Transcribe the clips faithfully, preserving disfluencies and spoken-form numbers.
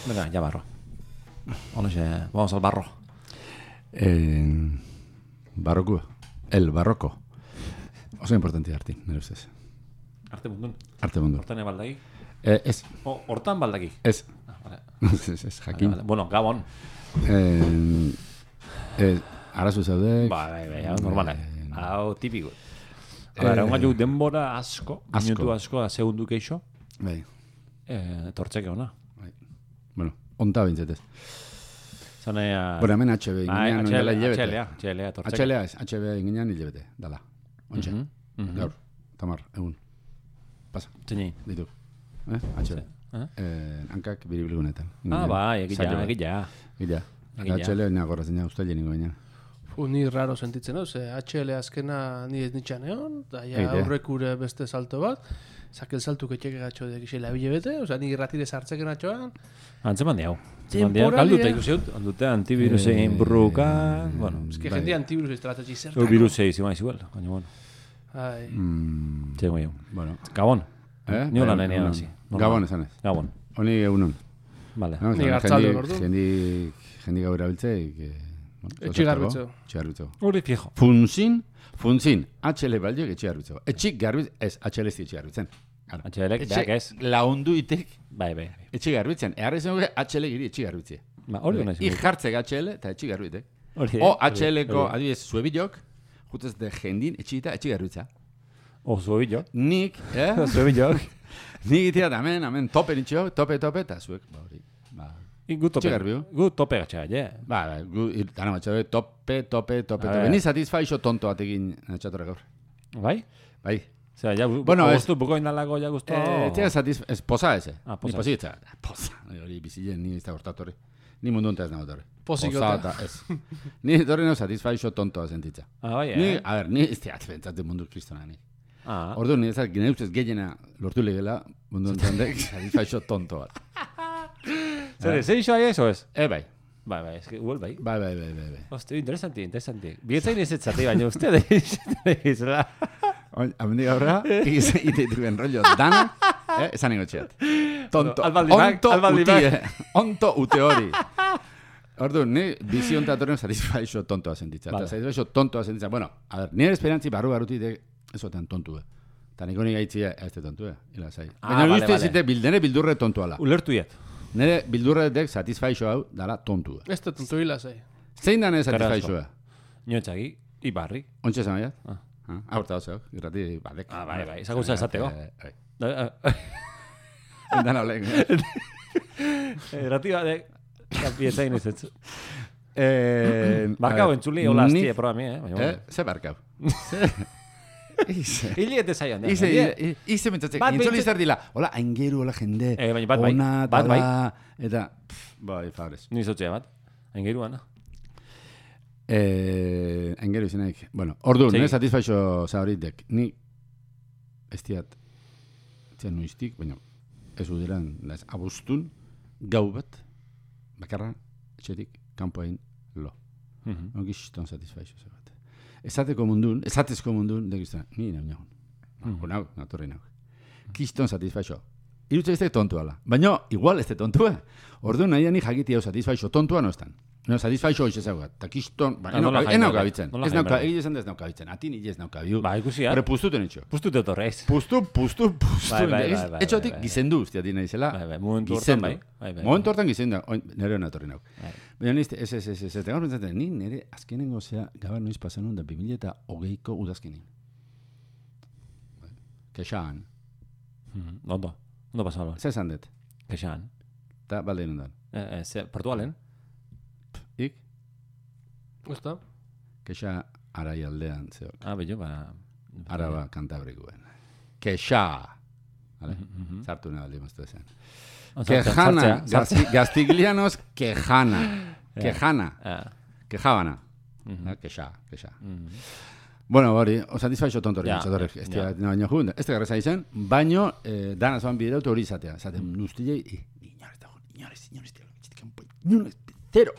Venga, ya barro. Onoxe, vamos al barro. Eh, barroku. El barroko. Oso importante arti, nire ustez. Arte mundun. Arte mundu. Hortan baldaki. Eh, ez. O, hortan baldaki. Ez. Ah, vale. Ez, ez, jakin. Vale, vale. Bueno, gabon. Eh, eh, arazu zaudek. Ba, bai, bai, hau normala. Eh, Hau tipiko. Gara, eh, un gaiu denbora asko, asko. minutu asko, da segundu keixo, Bai. eh, tortzeke ona. Bai. Bueno, onta bintzetez. Zanea... Bueno, hemen H B inginean ondela hilebete. H L A, H L A, tortzeke. H L A ez, H B inginean hilebete, dala. Ontxe. Mhm, mhm. Gaur, tamar, egun. Pasa, Zini. ditu. Eh? H B. Eh? Eh, hankak biribilgunetan. Ah, bai, egila, egila. Gila. Egia. H L A nina gorra zina, usta jeniko baina. Fu, ni raro sentitzen hau, ze H L azkena ni ez nitxan egon, da ja Eite. aurrekure beste salto bat, zakel saltu ketxeke gatxo dek isela bile bete, oza, ni ratire sartzeken atxoan, Antzeman diau. Temporalia. Galdute ikusi dut, aldute antivirusein burruka, bueno, ez que Bai. jende antivirus estrategi o zertako. virusei zima igual, baina bueno. Ai, Mm, Txego jau. bueno. Gabon. Eh? Ni hola Bai, nenea egunon. hasi. Gabon esan ez. Gabon. Honi egunon. Vale. No, Ni zan, gartzalde jendi- ordu. Jendi, jendi gau erabiltzeik. Eh, bueno, Etxe garbitzeko. Etxe garbitzeko. Hori fijo. Funzin, funzin, H L baldiok etxe garbitzeko. Etxik garbiz, ez, H L ez etxe garbitzen. Claro. H L ek, beak ez. laundu itek Bai, bai. etxe garbitzen. Eharri zen guke H L giri etxe garbitzie. Ba, hori hona I jartzek H L eta etxe garbitek. Hori. O H L-ko, adibidez, zuebilok, jutez de jendin etxita etxe garbitza. O zuebillo. Nik, eh? Zuebillo. Nik itiat, amen, amen, tope nitxo, tope, tope, eta zuek, ba, hori. Ba, Gu tope. Txigarbiu. Gu tope gatxa, je. ba, ba, gu, ir, dana batxabe, tope, tope, tope, A tope. ver. Ni satisfaixo tonto batekin natxatorra gaur. Bai? Bai. Osea, ja, Bueno, ez- gustu, buko indalago, ja gustu. Eh, tia satisf... Ez, poza eze. Ah, Ni poza. pozitza. Poza. Hori bizilen, ni ez da hortatorri. Ni mundu hontaz nago torri. Pozikota. Poza eta ez. Ni torri no satisfaixo tontoa sentitza. Ah, bai, Ni, eh? a ver, ni ez teat bentzat mundu kristona ni. Ah. Ordu ni ezak, gine ustez gehiena lortu legela mundu honetan dek satisfaixo tonto bat. Zer, zer iso aia eso ez? E, bai. Bai, bai, es que igual bai. Bai, bai, bai, bai, bai. Hostia, interesanti, interesanti. Bietzain ez etzate, baina uste da izela. Oin, amendi gaurra, ite dituen rollo dana, eh, esan ingo txeat. Tonto, Albaldimak, onto albaldimak. utie, onto ute hori. Ordu, ni bizi ontatorren satisfaixo tontoa sentitza. Vale. Eta satisfaixo tontoa sentitza. Bueno, a ver, nire esperantzi barru barruti de esotan tontu. Eta niko nik aitzia ez de tontu, ila zai. Ah, Baina vale, uste vale. zite bildene bildurre tontuala. Ulertu iet. Nire bildurre dek satisfaixo hau dala tontua. ez da tontu hila zai. Zein da nire Carrasco. satisfaixoa? Niontxagi, ibarri. Ontsa esan baiat? Ah. Ah, aurta oso, irrati badek. Ah, bai, bai, ezagutzen esateko. Eh, bai. Eh, Dan olen. Errati bat, bietzain ez etzu. Eh, Barkau a ver, entzuli, hola ni- aztie programi, eh? Baina, Eh, bueno. ze barkau. Ize. Hili ete zaion, da. Ize, Hili- i- ize mentzatzek. Bat Intzoli behintzat- zer dila. Hola, aingeru, hola jende. Eh, baina bat bai, Ona, bat bai. dala, eta... pff, Bai, fabrez. Ni zotzea bat. Aingeruan, Eh, aingeru izenaik. Bueno, ordu, Segi. nire satisfaixo zauritek. Ni, ez diat, zian nuiztik, baina ez udiran, laz, abustun, gau bat, bakarra, etxetik, kanpoain, lo. Mhm. No gizton satisfaixo zer bat. Esateko mundun, esatezko mundun, dekizten, ni nau nagun. Mhm. Nau, nau, torri nau. Kiston satisfaixo. Irutze ez de tontua. Baina, igual ez de tontua. Ordu nahi ni jakiti hau satisfaixo tontua no estan. No, satisfaixo hoiz ezaguat. Ta kiston, ba, Ah, nola en jain nauka behar, bitzen. nola Ez jain nauka, behar. egin esan da ez nauka bitzen. Ati ni ez nauka biu. Ba, ikusi, eh? Hore puztuten etxo. Pustu te otorreiz. Pustu, pustu, pustu. Bai, bai, bai, bai, Etxotik bai, bai. gizendu uste dina izela. Bai, bai, momentu hortan gizendu. bai. Bai, bai, Momentu hortan gizendu. Oin, nire hona etorri nau. Bai. Baina nizte, ez, ez, ez, ez, ez, gaur pentsatzen, ni nire azkenengo zea gabar noiz pasanun da bi mila eta hogeiko udazkenin. Kexaan. Mhm. Ondo. Ondo pasalo. Zer esan dut? Kexan. Eta balde inundan. Eh, eh, ze, Portugalen? Ik, Ez da? kexa arai aldean zeo. Ah, bello, ba... Araba kantabrikuen. Kexa. Vale? Mhm. Sartu nahi baldi maztu esan. Oh, sartzea, Quejana. sartzea, sartzea. Gazti- Gastiglianos, quejana. Ja. Quejana. Ah. Quejabana. Mhm. Eh, Kexa, kexa. Mhm. Bueno, hori, o satisfaixo tontori, Ja, ja, ez ja. dira, baino jun, ez da garreza izan, baino, eh, dana zoan bideutu hori izatea, zaten, Mm. nuztilei, inorez dago, inorez, inorez, inorez, zero.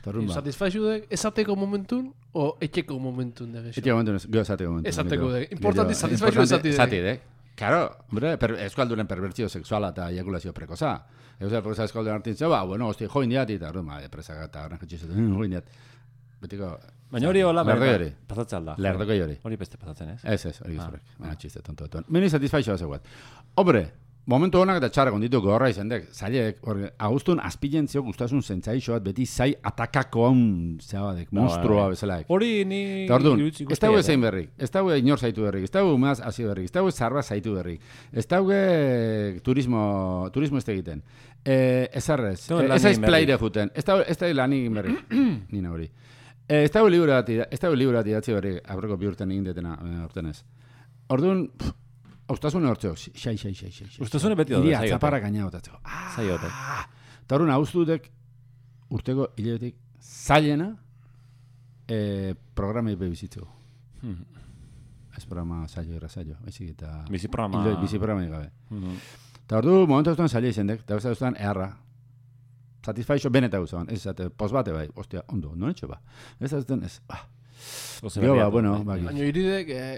Torrun ba. Satisfaixu dek, esateko momentun, o etxeko momentun dek. Etxe momentu, gero esateko momentu. Esateko mikro. dek. Importanti Gero, satisfaixo importanti esati dek. esati dek. Claro, hombre, per, eskalduren perbertzio sexuala eta ejakulazio prekoza. Eusea prekoza eskalduren artintzea, ba, bueno, hosti, join diat, eta, ma, presaka eta gran jetxizetu, join diat. Betiko... Baina hori hola, lerdoi hori. pasatzen alda. Lerdoi hori. Hori beste pasatzen, ez? Ez, ez, hori gizurek. Baina txiste, tonto dutuen. Meni satisfaixoa zegoet. Hombre, momentu honak eta txarrak onditu gorra izan dek. Zailek, agustun azpilentzio guztasun zentzaixoat beti zai atakako hon zeabadek, monstrua bezalaek. Hori ni... Eta orduan, ez dago zein berrik, ez dago inor zaitu berrik, ez dago umaz hasi berrik, ez dago zarba zaitu berrik, ez dago turismo, turismo ez egiten. Eh, ez arrez, ez aiz plaire juten, ez dago lan egin berrik, nina hori. Ez dago liburu bat, ez dago liburu bat idatzi berrik, aurreko bi urten egin detena, urtenez. Orduan, Austasune hortzeo, xai, xai, xai, xai. Austasune beti dut, iria, txaparra gaina botatzeko. Zaiote. Eta horren austutek urteko hilebetik zailena eh, programei bebizitzeko. Hmm. Ez programa zailo era zailo, baizik eta... Bizi programa... Ilo, bizi programa gabe. Hmm. Eta ordu, momentu aztuan zaila izendek, eta beste aztuan eharra. Satisfaixo beneta guzaban, ez zate, pos bate bai, ostia, ondo, non etxo ba. Ez aztuan ez, ba. Gio ba, bueno, baki. Baina iridek... Eh...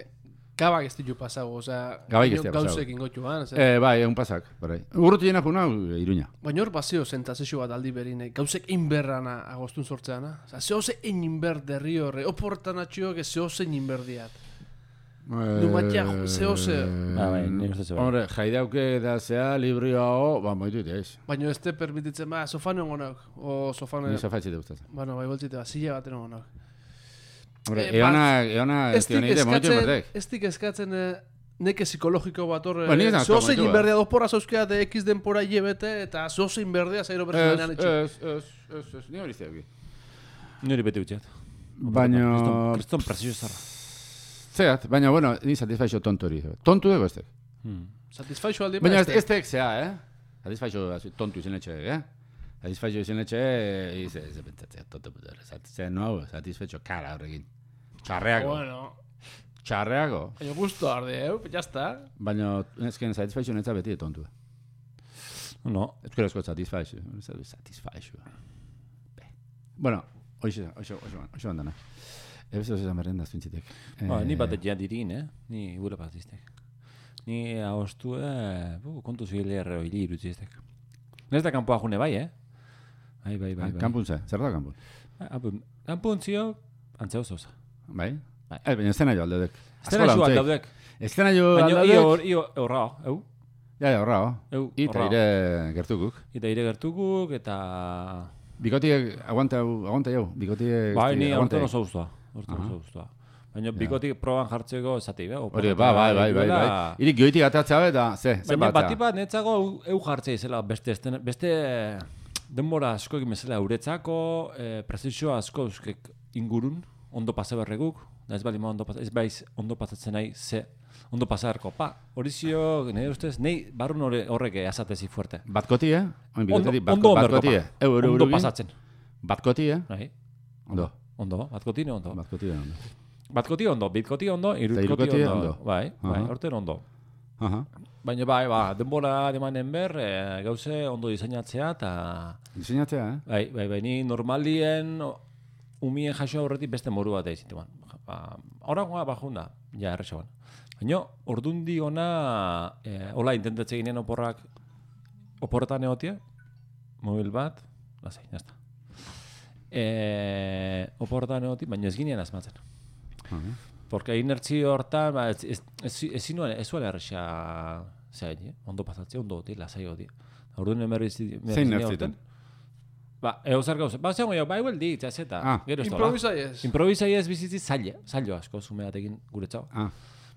Gabak ez ditu pasago, oza, gauzek ingotu, ban? Eh, bai, egun pasak, barai. Urruti jena juna, Iruña. Baina hor bazio zentazio bat aldi berine, gauzek inberrana agostun sortzeana. Oza, zehose egin inber derri horre, oportan atxioak ez zehose egin inberdiat. Numatia, zehose... Ba, bai, nire uste zeba. Hombre, jaidauke da zea, librio hau, ba, moitu ez. Baina ez te permititzen, ba, sofan egonok, o sofan... Ni sofatxite gustatzen. Bueno, bai, boltzite, ba, zile baten egonok. Hombre, eh, eona, eona, ez tioneite, momentu inbertek. Ez dik eskatzen neke psikologiko bat horre. Bueno, zoze egin berdea dozpora zauzkea de X denpora hilebete eta zoze egin berdea zairo berzenanean etxe. Ez, ez, ez, ez, ni hori zeak. Niri bete utxeat. Baina... Kriston presio zarra. Zeat, baina, bueno, ni satisfaixo tontu hori. Tontu ego ez tek. Satisfaixo aldi baina ez tek zea, eh? Satisfaixo tontu izan etxe, eh? Satisfaixo izan etxe, ez pentsatzea, tontu putere. Zaten hau, satisfaixo kara horrekin. Txarreago. Bueno. Txarreago. Baina gusto arde, eh? Ya está. Baina, ezken satisfaixo netza beti tontu. No. Ezkerezko satisfaixo. Satisfaixo. Bueno, hoxe, hoxe, hoxe bandana. Ebezo zezan merendaz pintzitek. Ba, ni bat egian dirin, eh? Ni gure bat iztek. Ni agostu, eh? Kontu zile erreo hili irutzi iztek. Nez da kanpoa june bai, eh? Bai, bai, bai. Kampun ze, zer da kampun? Kampun zio, antzeo zoza. Bai? Eh, baina estena jo aldeudek. Estena jo aldeudek. Estena jo aldeudek. Baina io horrao, eu? Ja, ja, horrao. Eu, Ita ire gertukuk. Ita ire gertukuk, eta... Bikotiek, aguanta aguanta jau, bikotiek... Bai, ni horten oso guztua. Horten oso guztua. Baina bikotik proban jartzeko esatei, be? Hori, bai, bai, bai, bai, bai. Irik goitik atatzea eta, ze, ze baina bati bat netzago eu jartzea izela, beste, beste denbora asko egin bezala euretzako, prezizio asko euskek ingurun, ondo pasa berreguk, ez bali ma ondo pasa, ez baiz ondo pasatzen nahi, ze, ondo pasarko. Pa, hori zio, nire ustez, nahi barrun horrek azatezi fuerte. Batkoti, eh? Ondo, ondo onderko, pa. Ondo pasatzen. Batkoti, eh? Nahi. Ondo. Ondo, batkoti ne ondo. Batkoti ne ondo. Batkoti ondo, bitkoti ondo, irukoti ondo. Bai, bai, horten ondo. Baina bai, ba, denbora demanen ber, gauze ondo diseinatzea eta... Diseinatzea, eh? Bai, bai, bai, ni normalien umien jaso aurretik beste moru bat egin ban. Horagoa bajunda, ja, erresaban. Baina, ordundi ona, hola, intentatze ginen oporrak, oporretan egotia, mobil bat, lasai, jazta. Oporretan egotia, baina ez ginean azmatzen. Porque inertzio hortan, ba, ez zinuen, ez zuela erresa zehain, ondo pasatzea, ondo goti, lasai goti. Orduan emerri zinean. Zein nertziten? Ba, eusar gauze. Ba, zegoen jo, ba, igual di, txazeta. Ah. Improvisai ez. Improvisai ez bizitzi zaila, zailo asko, zumeatekin guretzau. Ah.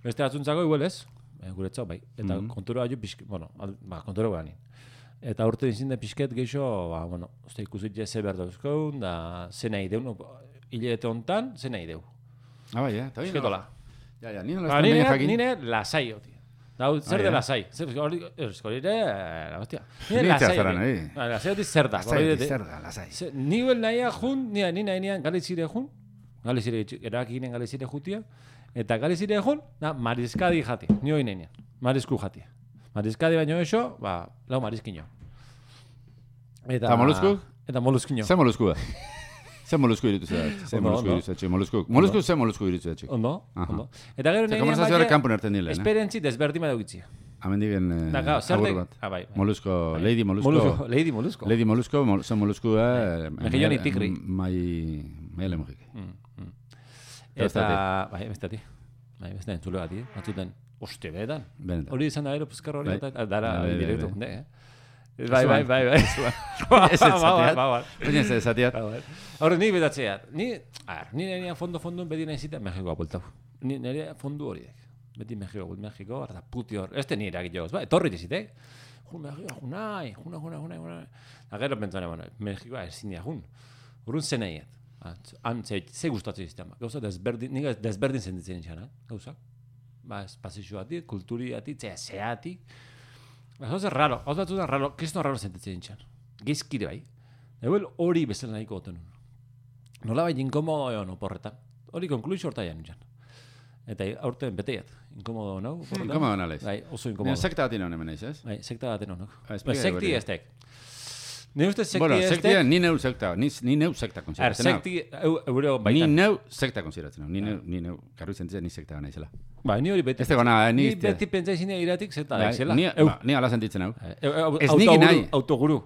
Beste atzuntzako igual ez, guretzau, bai. Eta mm -hmm. kontura jo pixket, bueno, ba, kontura guanin. Eta urte dizinde pixket geixo, ba, bueno, uste ikusit ze behar dauzkoun, da ze nahi deu, no, hilete hontan, ze nahi deu. Ah, bai, eh? Esketola. Ja, ja, nire lastan behin jakin. Nire lasai, oti. Dau, zer de lasai? Zer, eskolire, la hostia. Nire lasai, oti. Lasai oti zer da. Lasai oti zer da, lasai. Nivel naia jun, nia, nina, nina, galizire jun, galizire, erakinen galizire jutia, eta galizire jun, na, marizkadi jati, nio inenean, marizku jati. Marizkadi baino eso, ba, lau marizkino. Eta molusku? Eta moluskinio. Ze molusku? Ze molusku iritu zedak? Ze molusku iritu zedak? Molusku? Molusku ze molusku iritu zedak? Ondo, ondo. Eta gero negian baina, esperientzi desberdin badauk itzia. amendigen Da, claro, zer agur de- bat. Ah, bai, bai. Molusco, Bai. Lady Molusco. Molusco, Lady Molusco. Lady Molusco, mol, son Molusco, eh, Mejillón y tigri. Mai, mai lemujik. Mm, mm. Eta Eta, bai, bestetik. Bai, beste entzule bat, batzuten, oste, benetan. Benetan. Hori izan da, ero, puzkarro hori, Bai. eta dara, Bai, bai, direktu, bai. jonde, eh? Bai, bai, bai, bai. Ez ez Ba, ba, zateat. ba, ba. Baina ez zateat. Horre, ni betatzeat. Ni, a ver, ni nire fondo fondo beti nahi zita Mexikoa bultau. Ni nire fondu horiek. Beti Mexiko bult, Mexiko, eta puti hor. Este nire agit jogoz, ba, etorri dizitek. Jun Mexikoa, junai, juna, juna, juna, juna. Agero pentsane, bueno, Mexikoa ezin dira jun. Urrun zeneiet. Han, ze, ze gustatzen iztean. Gauza desberdin, nik desberdin sentitzen itxan, eh? Gauza. Ba, espazioatik, kulturiatik, zea, zeatik. Ba, gauza raro, gauza batzutan raro, kriston raro sentitzen itxan. Gizkire bai. Egoel hori bezala nahiko goten nun. Nola bai inkomodo egon oporretan. Hori konkluizio horta jan itxan. Eta aurten beteiat. Inkomodo nau? oporretan? Inkomodo nalez. Bai, oso Baina inkomodo. sekta bat inoen hemen eiz, ez? Bai, sekta baten honok. Ah, Ba, explica sekti hori. estek. Ni uste sekti Bueno, estek. sektia, ni neu sekta, ni, ni neu sekta Er, konsideratzen hau. sekti, eu- eure Ni baitan. neu sekta konsideratzen hau. Ni neu, ni neu, karru zentzen ni sekta naizela. Ba, ni hori beti. Ez dago nahi, ni Ni iztea. beti pentsa izin iratik zeta da, Bai, izela. Ni, Eu, ba, ni ala sentitzen hau. eu, eu, Ez autoguru, niki nahi. autoguru.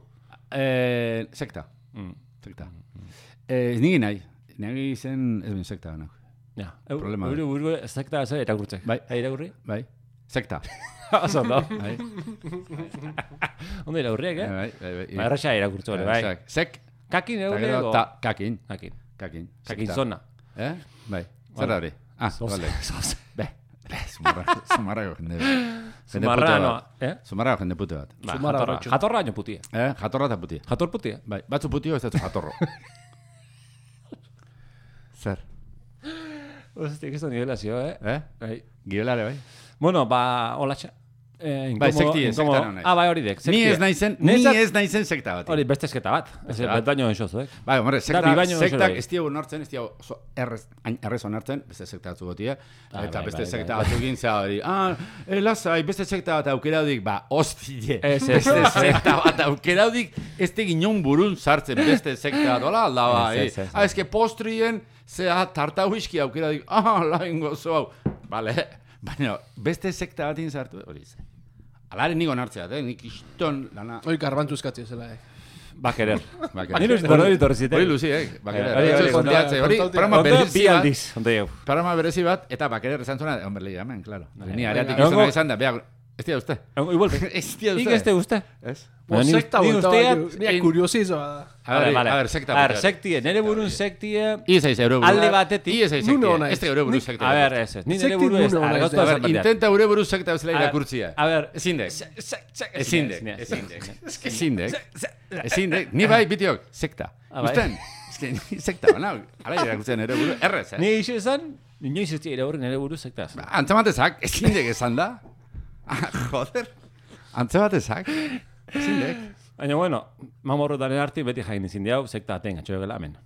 Eh, sekta, Mm. sekta. Eh, ez nigi nahi, nagi zen ez ben sekta nahi. Ja, eu, Problema da. eure buru sekta ez irakurtze. Bai. Hai irakurri? Bai, sekta. Oso da. Bai, Ondo irakurriek, bai, eh? bai, bai. Ba, erraxa irakurtze hori, bai. Sek, Sek, Kakin eta eure gero, ego. ta, kakin, Kakin. kakin. Kakin sekta. zona. Eh? Bai, zer Vale. da hori? Ah, Zoze, vale. zoze. Be, be, zumarra- zumarrako jende. Jende Zumarranoa, puto eh? bat. Zumarrako jende puto bat. Ba, Zumarra jatorra, horretxo. jatorra baino putia. Eh, jatorra eta putia. Jator putia. Bai, batzu putio ez dut jatorro. Zer? Ostia, que esto nivelazio, eh? Eh? Bai. Giolare, bai? Bueno, ba, holatxa. Eh, Bai, inkomodo- sekti, inkomodo- sekta naiz. Ah, bai, hori dek. Ni sektia. ez naizen, ni Niretzat- ez naizen sekta bat. Hori, beste esketa bat. Ez Beste bat. bet baino enxoz, eh? Bai, hombre, sekta, bi baino sektak hori. ez diogu nortzen, ez diogu oso errez, hain errez onartzen, beste sekta batzu gotia, Ah, eta bai, beste bai, sekta bai, batzu gintza hori, ah, eh, lasai, beste sekta bat aukeraudik, ba, hostile, Ez, ez, beste ez. sekta bat aukeraudik, ez teginon burun sartzen beste sekta, dola alda, ba, Ez, eh, ez, ez, ah, eske postrien, zea tarta whisky aukeraudik, ah, lain gozo hau, bale, baina, beste sekta batin sartu, hori ze. Alare niko nartzea, eh, nik iston lana, Hoi garbantzu eskatzi zela, eh. Ba, querer. Ba, Ni uste hori torri zitek. hori luzi, eh, bakerer, Hori, hori, hori, kontatzea, hori, kontaute- programa Ondo, berezi bi bat, aldiz, ondo jau. programa berezi bat, eta bakerer esan zuena, hombre, lehi, hemen, claro. Ni areatik Egongo- izan izan da, beha, ez dira uste. Igual, Ez dira ik uste. ez te uste. Ez? Ba, ni- Sekta ni bulta usteat- bat, nia kuriosizoa da. A ver, a ver, sekta. A ver, sektie, nere burun sektie... Iez eiz euro buru. Alde batetik. Iez eiz Nuno sektia. naiz. Ez da euro buru Nik- sekta. A ver, ez ez. Ni nere Sekti buru ez. nuno A ver, naiz, gauza de. A ver, esan batean. intenta euro buru sekta bezala A ver, irakurtzia. A ver... Ezin dek. Se- se- se- Ezin dek. ezin Ezin dek. dek. Ezin dek. Se- se- Ezin dek. Ni bai, bitiok, sekta. Ah, bai. Usten? Ez que ni sekta, bana. Ala irakurtzen ere buru. Errez, eh? Ni iso esan, inoiz ez dira horren ere buru sektaz. Ba, Antzematezak, ezin dek esan da. Ah, joder. Antzematezak. Ezin dek. Baina, bueno, mamorrotaren arti beti jain izin diau, sekta aten gatxo egela hemen.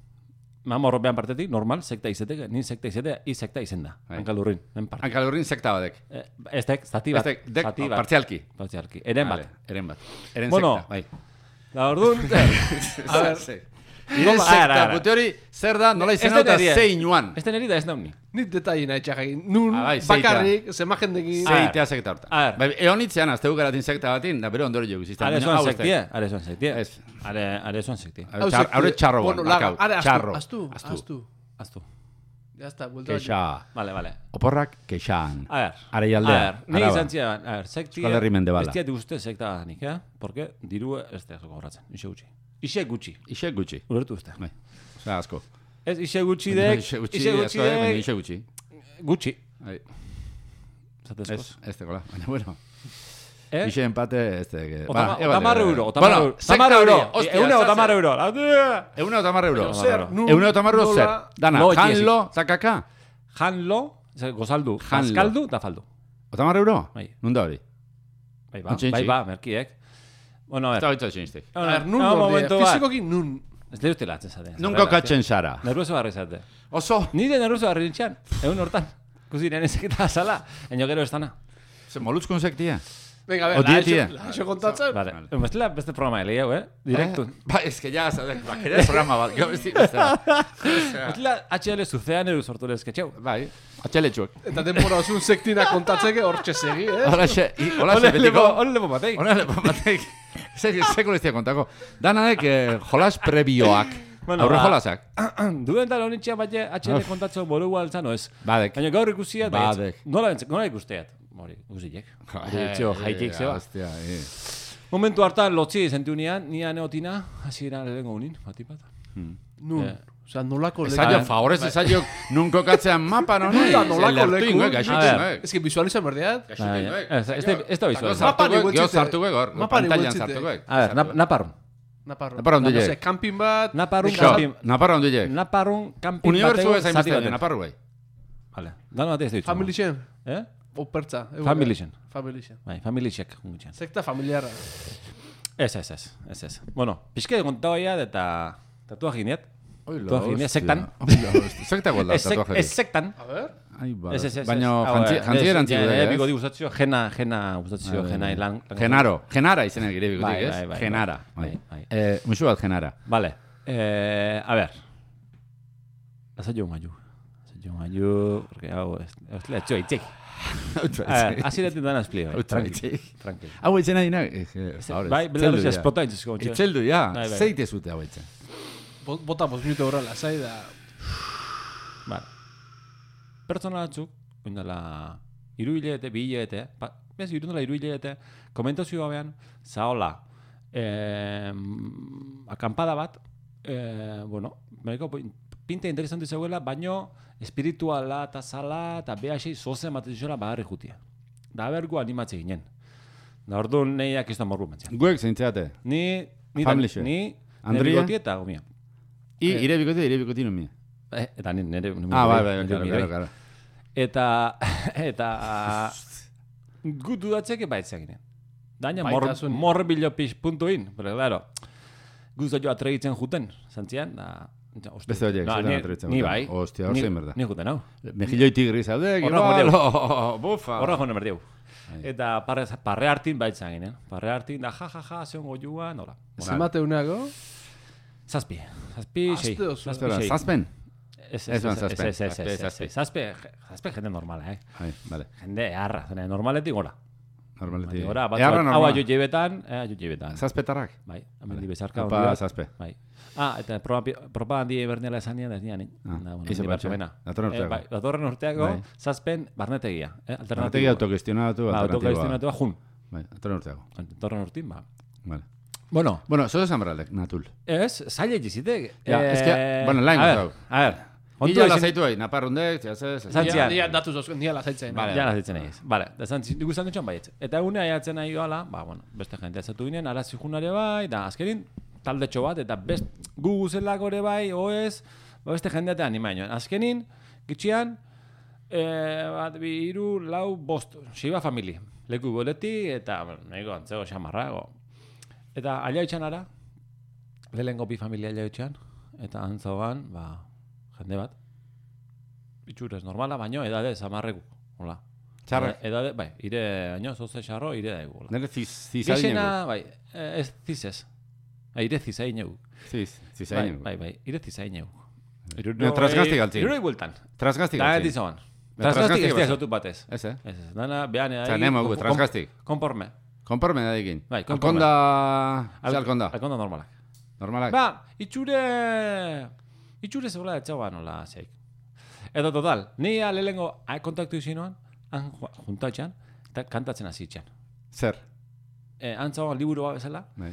Mamorro behan partetik, normal, sekta izetek, ni sekta izetek, i sekta izen da. Bai. Hankalurrin, men parte. Hankalurrin sekta badek. Eh, Ez dek, zati bat. Ez dek, dek, zati bat. partzialki. Partzialki. Eren bat. Vale, eren bat. Eren Bueno. sekta, bai. Da orduan, A ver, Ire Nola- sekta, ara, ara. pute hori, zer da, nola izena Ez eta denerie. zein joan. ez den erida ez nauni. Nit detai nahi txakai. Nun, Ah, bai, zeitea. bakarrik, zema jendekin. Zei- Zeitea sekta horta. A ver. Bai, eonitzean, azte garatin sekta batin, da bero ondoro jogu zizten. Are zoan sektie, are zoan sektie. Ez. Are, are zoan sektie. Hau Txar- sekti- Haure txarro bueno, guan, laga, markau. are, astu, Txarro. Astu, Astu. astu. Aztu. Ya está, vuelta. Kexa. Vale, vale. Oporrak kexan. A ver. Are jaldea. A ver, ni Araba. izan zian, a ver, sektia... Euskal Herri mendebala. Ez diat uste sekta danik, eh? Porque diru ez da gogoratzen, ixe gutxi. Ixe gutxi, Ixe gutxi. ulertu uste. Bai. Osea, asko. Ez ixe gutxi dek, Ixe gutxi, ixe gutxi asko, eh, baina dek, ixe gutxi. gutxi. Bai. Zatezkoz. Ez, ez tegola. Baina, bueno. Eh? Ixe empate, ez tege. Otama- Ba, Otamar ebate, euro, eh. otamar Bueno, euro. sekta Otamar euro, hori, hostia, eune zaze. otamar euro. Eune otamar euro. Eune Zer, euro. nun, Eune otamar euro zer. nola- Dana, Lo janlo, zakaka. Janlo, ze, gozaldu, Janlo. azkaldu da faldu. Otamar euro? Bai. Nunda hori? Bai ba, Ontxe, bai ontxe. ba, merkiek. Bueno, a Ez da ver. hoitza txinistik. A ver, nun, no, norde, momentu bat. fizikoki nun. Ez da uste latzen zaten. Nunko katzen zara. Nervioso garri zate. Oso. Nire nervioso garri nintxan, egun hortan. Kusi nire sekta azala, eno gero ez dana. Ze molutzkun sektia. Venga, a ver, Odi la etia. eso, la eso kontatzen. Vale. Bestela beste programa lehiago, eh? Direktu. Ba, ez que ya, sabes, ba, querer programa bat. Gau besti, besta. Bestela H L zuzean edo sortu lezketxeu. Bai, atxeletxuak. Eta denbora osun sektina kontatzeke hortxe segi, eh? Hola, xe, i- hola, xe, betiko. Hone lepo bateik. Hona, lepo batek. Seko leztia kontako. Danaek, eh, jolas prebioak. Bueno, Aurre ba- jolasak. Duden tal honitxea bat H L kontatzen bolu altzano ez. Badek. Baina gaur ikusiat, Badek. nola, nola ikusteat? Hori, guzilek. Ditxo, jaitik zeba. Hostia, eh. Momentu hartan lotzi sentiu nian, nia neotina, hasi gara lehenko unin, bati bat. Nun, Eh. osea, nolako Esaio, Bai. favorez, esaio, nun kokatzean mapan honi. Nunda, nolako leku? Lertuingoek, A gaixotingoek. Ez que visualizan berdeat. Gaixotingoek. Ez, ez da- ez da visual. Mapan Gio igualtzite. sartuko egor, Mapan pantailan igualtzite. sartuko. A ver, nap- naparrun. Naparro. Naparro ondo No je. sé, camping bat. Naparrun de- camping. Naparra ondo je. Naparrun camping Unibertsu batego ez hain zati beste, baten. naparru bai. Vale, dano bat ez da Family Shen. Eh? O pertza. eh, Family Shen. Family Shen. Bai, family check. gutxian. Sekta familiarra. Ez, ez, ez, ez, ez. Bueno, pixke kontagoia eta tatuaje gineat. Oila, Tatuaje gineat, hostia. sektan. Oila, hostia. Sekta gualda, Ez, sek- tatuaje. ez sektan. A ver. Ai, ba. Ez, ez, ez. Baina ez. Hau, jantzi- eh, jantziera ez, antzigu ja, da, eh, ez? bigoti gustatzio, jena, jena gustatzio, Bai, jena bai. ilan. Genaro, genara izenak gire Bai, bikotik, bai, ez? bai, Genara. bai, bai. bai. Eh, musu bat genara. Vale, eh, a ver. Lasa jo maiu. Lasa jo maiu, porque hau, ez, ez le etxo itxik. A ver, hasi letin dana esplio, bai. Outra Tranquil, itxik. tranquil. Hau itzena dina, eh, ahora. Bai, belaruz esplota intzizko. Itzeldu, ja. Bai, bai. Zeite zute hau itzen. Bo- Bota bost minuto horrela, zai da. Vale. Pertsona batzuk, oindala, iru hilete, bi hilete, ba, bez, irundela iru hilete, komentazio gabean, zaola, eh, akampada bat, eh, bueno, mereko pinta interesantu zegoela, baino espirituala eta zala eta behasei zozen bat zizela bagarri jutia. Da bergu animatze ginen. Da ordu nahiak ez da morru mentzian. Guek zeintzeate. Ni, ni, Family da- share. ni, Andrea? nire bigoti eta gomia. I, ire bikote, ire bikoti numi. Eh, eta ni nire, nire Ah, bai, nire- bai, nire claro, nire- claro, claro. Eta, eta, gut dudatzeke baitzak ginen. Daina mor, Baitasun. morbilo pix puntu in, pero claro, guztu jo atregitzen juten, zantzian, da, ja, ostia. Beste horiek, No, zetan ni- atregitzen Ni juten. bai, Hostia, hor ni- zein berda. Ni juten hau. Mejilloi tigri zaude, Horra igual, jodeu. oh, bufa. Horra jone berdiu. Bai. Eta parre, parre hartin baitzak ginen. Parre hartin, da, ja, ja, ja, zeon goiua, nola. Zemate unago. Zazpi, zazpi, sei. Aste oso. Zazpi, Espera, sei. zazpen? Ez, Ez ez, ban ez, zazpen. ez, ez, Zazpi, ez, zazpi. ez, zazpi, zazpi jende normala, eh. Ai, vale. Jende harra, zene normaletik gora. Normaleti. Gora, bat, Earra bat, hau normal. aio jebetan, eh, aio jebetan. Zazpetarrak? Bai, hemen bezarka Opa, handi bat. zazpe. Bai. Ah, eta proba, proba handi bernela esan nian, ez nian, eh? Ah, Da, bueno, ize handi batxe. bartxomena. Datorren urteako. Eh, bai, datorren urteako, Bai. zazpen barnetegia, eh? Artegi Alternatiboa. autogestionatu, Ba, alternatiboa. autogestionatua jun. Bai, datorren urteako. Datorren urtin, ba. Vale. Bueno, Bueno, zozo esan berralek, natul. ez, zaila jizitek. Ja, es que, bueno, lain a ver, gozau. a ver. Ila izan- lazaitu hai, naparrundek, txasez... Zantzian. Nia datuz osko, nia lasaitzen. Vale. Ja, zitzen egiz. Vale, da zantzi, nik usan dutxan baietz. Eta egune aiatzen nahi doala, ba, bueno, beste jente atzatu ginen, arazi junare bai, da azkenin taldetxo bat, eta best, gu guzelak ore bai, oez, ba, beste jendeate animainoan. Azkenin, gitxian, eh, bat, bi, iru, lau, bost, xiba famili. Leku boleti, eta, bueno, nahiko antzego xamarrago. Eta aliaitxan ara, lehenko bi familia aliaitxan, eta antzogan, ba, jende bat, itxurez normala, baino edade zamarreku, hola. Txarrak. Edade, bai, ire, baino, zoze xarro, ire daigu, hola. Nere ziz, zizadin Gexena, bai, eh, ez zizez. Bai, ire zizain egu. Ziz, Bai, zizadin bai, bai, ire zizain egu. Ne, trasgaztik altzin. Iruroi bueltan. Trasgaztik Da, altzin. etizoan. Ne, Trasgaztik trasgaztik ez basa. diazotu batez. Ez, eh? Ez, ez, dana, behan edai. Osea, nemo gu, trasgaztik. Konporme. Konporme da dikin. Bai, konporme. Alkonda... Ze alkonda? Alkonda normalak. Normalak? Ba, itxure... Itxure zegoela etxaua nola zeik. Edo total, ni alelengo kontaktu izinoan, han juntatxan, eta kantatzen hasi itxan. Zer? E, antzagoan liburu bat bezala, Bai.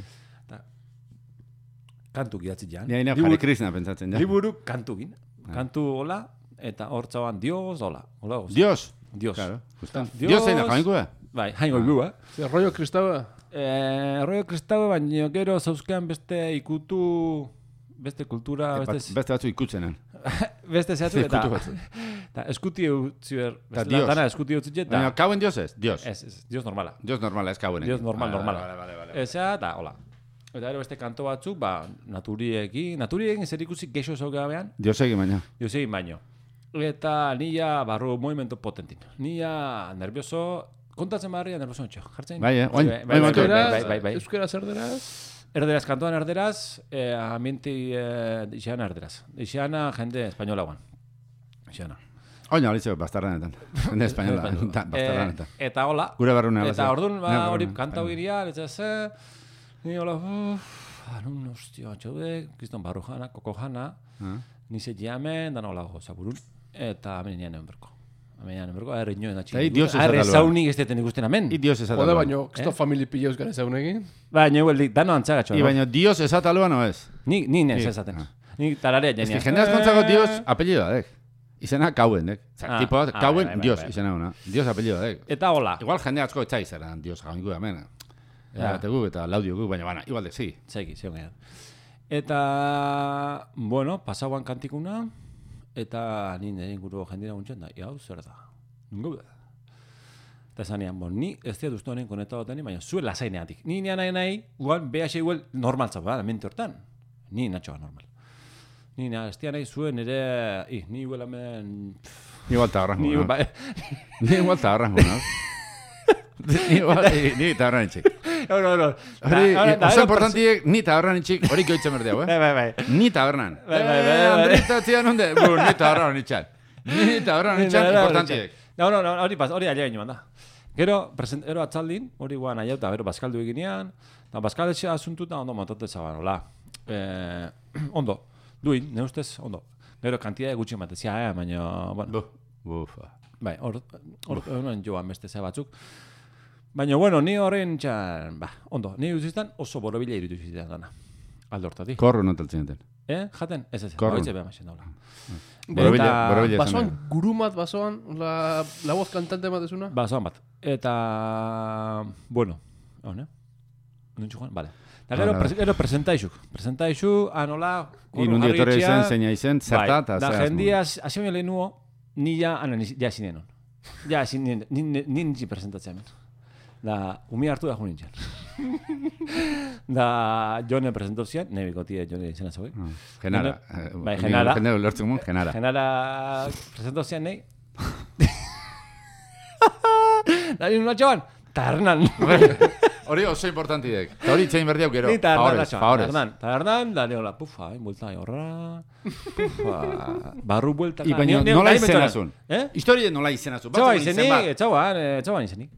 kantu gidatzi jan. Ni haina Liburu- Hare Krishna pentsatzen, ja. Liburu kantu gin. Kantu hola, eta hor txauan Dios, hola. Hola, goz. Dios. Dios. Claro, justan. Dios. Dios zeina, jainko da? Bai, hain goigu, eh? Zer, rollo kristaua. Eh, rollo kristau, baina gero zauzkean beste ikutu, beste kultura, beste, Beste batzu ikutzenen. beste zehatzu, eta, Ikutu batzu. eta eskuti eutzi ber, Ta bestela Dios. dana eskuti eutzi jet, Baina, eta, kauen Dios ez? Dios. ez, ez, Dios normala. Dios normala, ez kauen. Dios normal, Vale, normala. Vale, vale, vale. Ezea, eta, hola. Eta gero beste kanto batzuk, ba, naturiekin, naturiekin zer ikusi geixo zaugabean, Dios egin baina. Josegin baino. Eta nia barru movimento potentin. Nia nervioso, kontatzen barrian nervoso etxo. Jartzen. Bai, eh, oin, bai, bai, oin, bai, oin, bai, bai, bai, bai. Euskera zer deraz? Erderaz, kantuan erderaz, eh, ambienti eh, Ixana erderaz. Ixana jende espainola guan. Ixana. Oina, horitzeko, bastarranetan. Jende espainola, bastarranetan. Eh, eta hola. Gure barruna. Eta orduan, ba, hori kantau iria, letza ze, ni hola, uff, anun, hostia, txaude, kriston barru jana, koko jana, nize jamen, dan hola goza burun, eta amen nian egin berko. Amen nian egin berko, aherri nioen da txik. Aherri zaunik ez deten ikusten amen. I dios esataloan. Jode, baino, kisto famili pilloz gara zaunekin. Baina, huel, dano antzagatxo. I baina dios esataloan o ez? Ni, ni nes esaten. Ni tararea jenia. Ez que jende azkontzako dios apellido dek. Izena kauen, dek. Ah, Tipo, ah, kauen, bai, bai, dios, bai. izena una. Dios apellido dek. Eta hola. Igual jende atzko etxai zeran dios gaungu hemen. Ja. Eta guk eta laudio guk, baina bana, igual de, sí. Zeki, zeon gehiago. Eta, bueno, pasauan kantikuna, eta ni nire inguru jendira guntzen da, hau zer da. Nungo da. Eta zanean, bon, ni ez dira duztu honen konetatu baina zuen lasaineatik. Ni nian nahi nahi, uan, B H igual normal zau, da, mente hortan. Ni natxoa normal. Ni nahi, ez dira nahi zuen ere, i, ni igual hemen... Ni igual tagarran Ni guna. igual, Ni igual tagarran guna. Ni igual, ni tagarran itxik. no, no, no. Hori, oso importantiek, ni tagarran itxik, hori koitzen berdeu, eh? Bai, bai, bai. Ni tabernan. Bai, bai, bai, Eh, bai. Andrita txian hunde, bu, ni tabernan itxan. Ni tabernan itxan, importantiek. No, no, no, hori pas, hori alia ginen da. Gero, present, ero atzaldin, hori guan aiauta, gero bazkaldu eginean, eta bazkaletxea asuntuta ondo montate zaban, hola. Eh, ondo, duin, ne ustez, ondo. Gero, kantia gutxi ematezia, eh, baina, bueno. Bu, bufa. Bai, hor, hor, hor, joan beste ze batzuk. Baina, bueno, ni horren txan, ba, ondo, ni uziztan oso borobila irutu zizitan dana. Aldo hortatik. Korru notaltzen enten. Eh, jaten? Ez, ez, Korrun. hoitze beha maixen daula. Borobila, Eta- borobila esan Basoan, behar. gurumat basoan, la, la voz cantante matezuna? Ba, zoan bat. Eta, bueno, hone? Nuntxu joan? Vale. Eta gero, Vale, pres, gero presentaixuk. Presentaixu, anola, I nundi etorri izen, zeina izen, zerta eta Da, zehaz. jendia, hasi baino lehenuo, ni ja, ana, ni, ja zinenon. Ja, zinen, ni, ni, ni nintzen presentatzea hemen. Da, umi hartu da jo nintzen. Da, jone presentau zian, ne bikotie jone izena zauek. Genara. Bai, Genara. Genara ulertzen mun, genara. Genara presentau zian nahi. Da, nire natxoan, tarnan. Hori oso importantiek. Eta hori itxein berdiau gero. Ni tarnan Favorez, natxoan, favorez. tarnan. Tarnan, da, neola, pufa, hain buelta horra, pufa, barru buelta. I baina nola izenazun? Eh? Historie nola izenazun? Txauan izenik, txauan, eh, txauan izenik.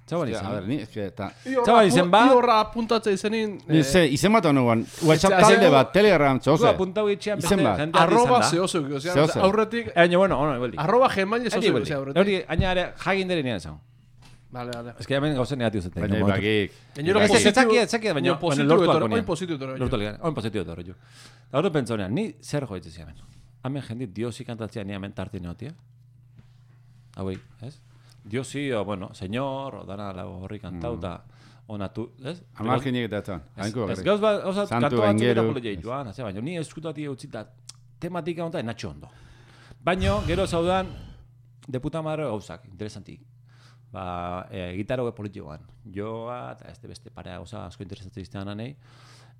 Txauan A ber, izenik. ni, eske, eta... Txauan izen ba. Ni horra apuntatze izenin... Ni ze, izen bat honuan, WhatsApp etxe- talde bat, Telegram, Gu txose. apuntau itxean beste Izen bat. jendeak Arroba izan da. zehozo, osea, Zehozo. aurretik... Baina, bueno, ono, ebeldi. Arroba gmail zehozo, Ebeldi, osea, ebeldi. aurretik. Hori, aina ere, jagin dere nian esan. Vale, vale. Ez que hemen gauzen negatibo zaten. Baina ibagik. Gainero Ez, ez, positibo... etzakiet, etzakiet, baina, baina baina positibo lortu etorri, alko oin nian. positibo etorri. Lortu alko nian, oin positibo etorri jo. Eta hori pentsonean, ni zer joitzen ziamen. Hemen jendit diosi kantatzea ni hemen tarte neotia. Hauei, ez? Diosi, o, bueno, señor, o dana la horri kantau, eta onatu, ez? Amarkinik eta etan. Ez, Hainko ez bakarrik. gauz bat, oza, Santu kantu batzuk eta Engeru. polo jaitu, ah, baina ni eskutati utzita tematika honta enatxo ondo. Baina, gero zaudan, de puta madre gauzak, interesantik. Ba, e, gitaro politikoan. Joa, eta ez de beste parea gauza asko interesatzen iztean anei.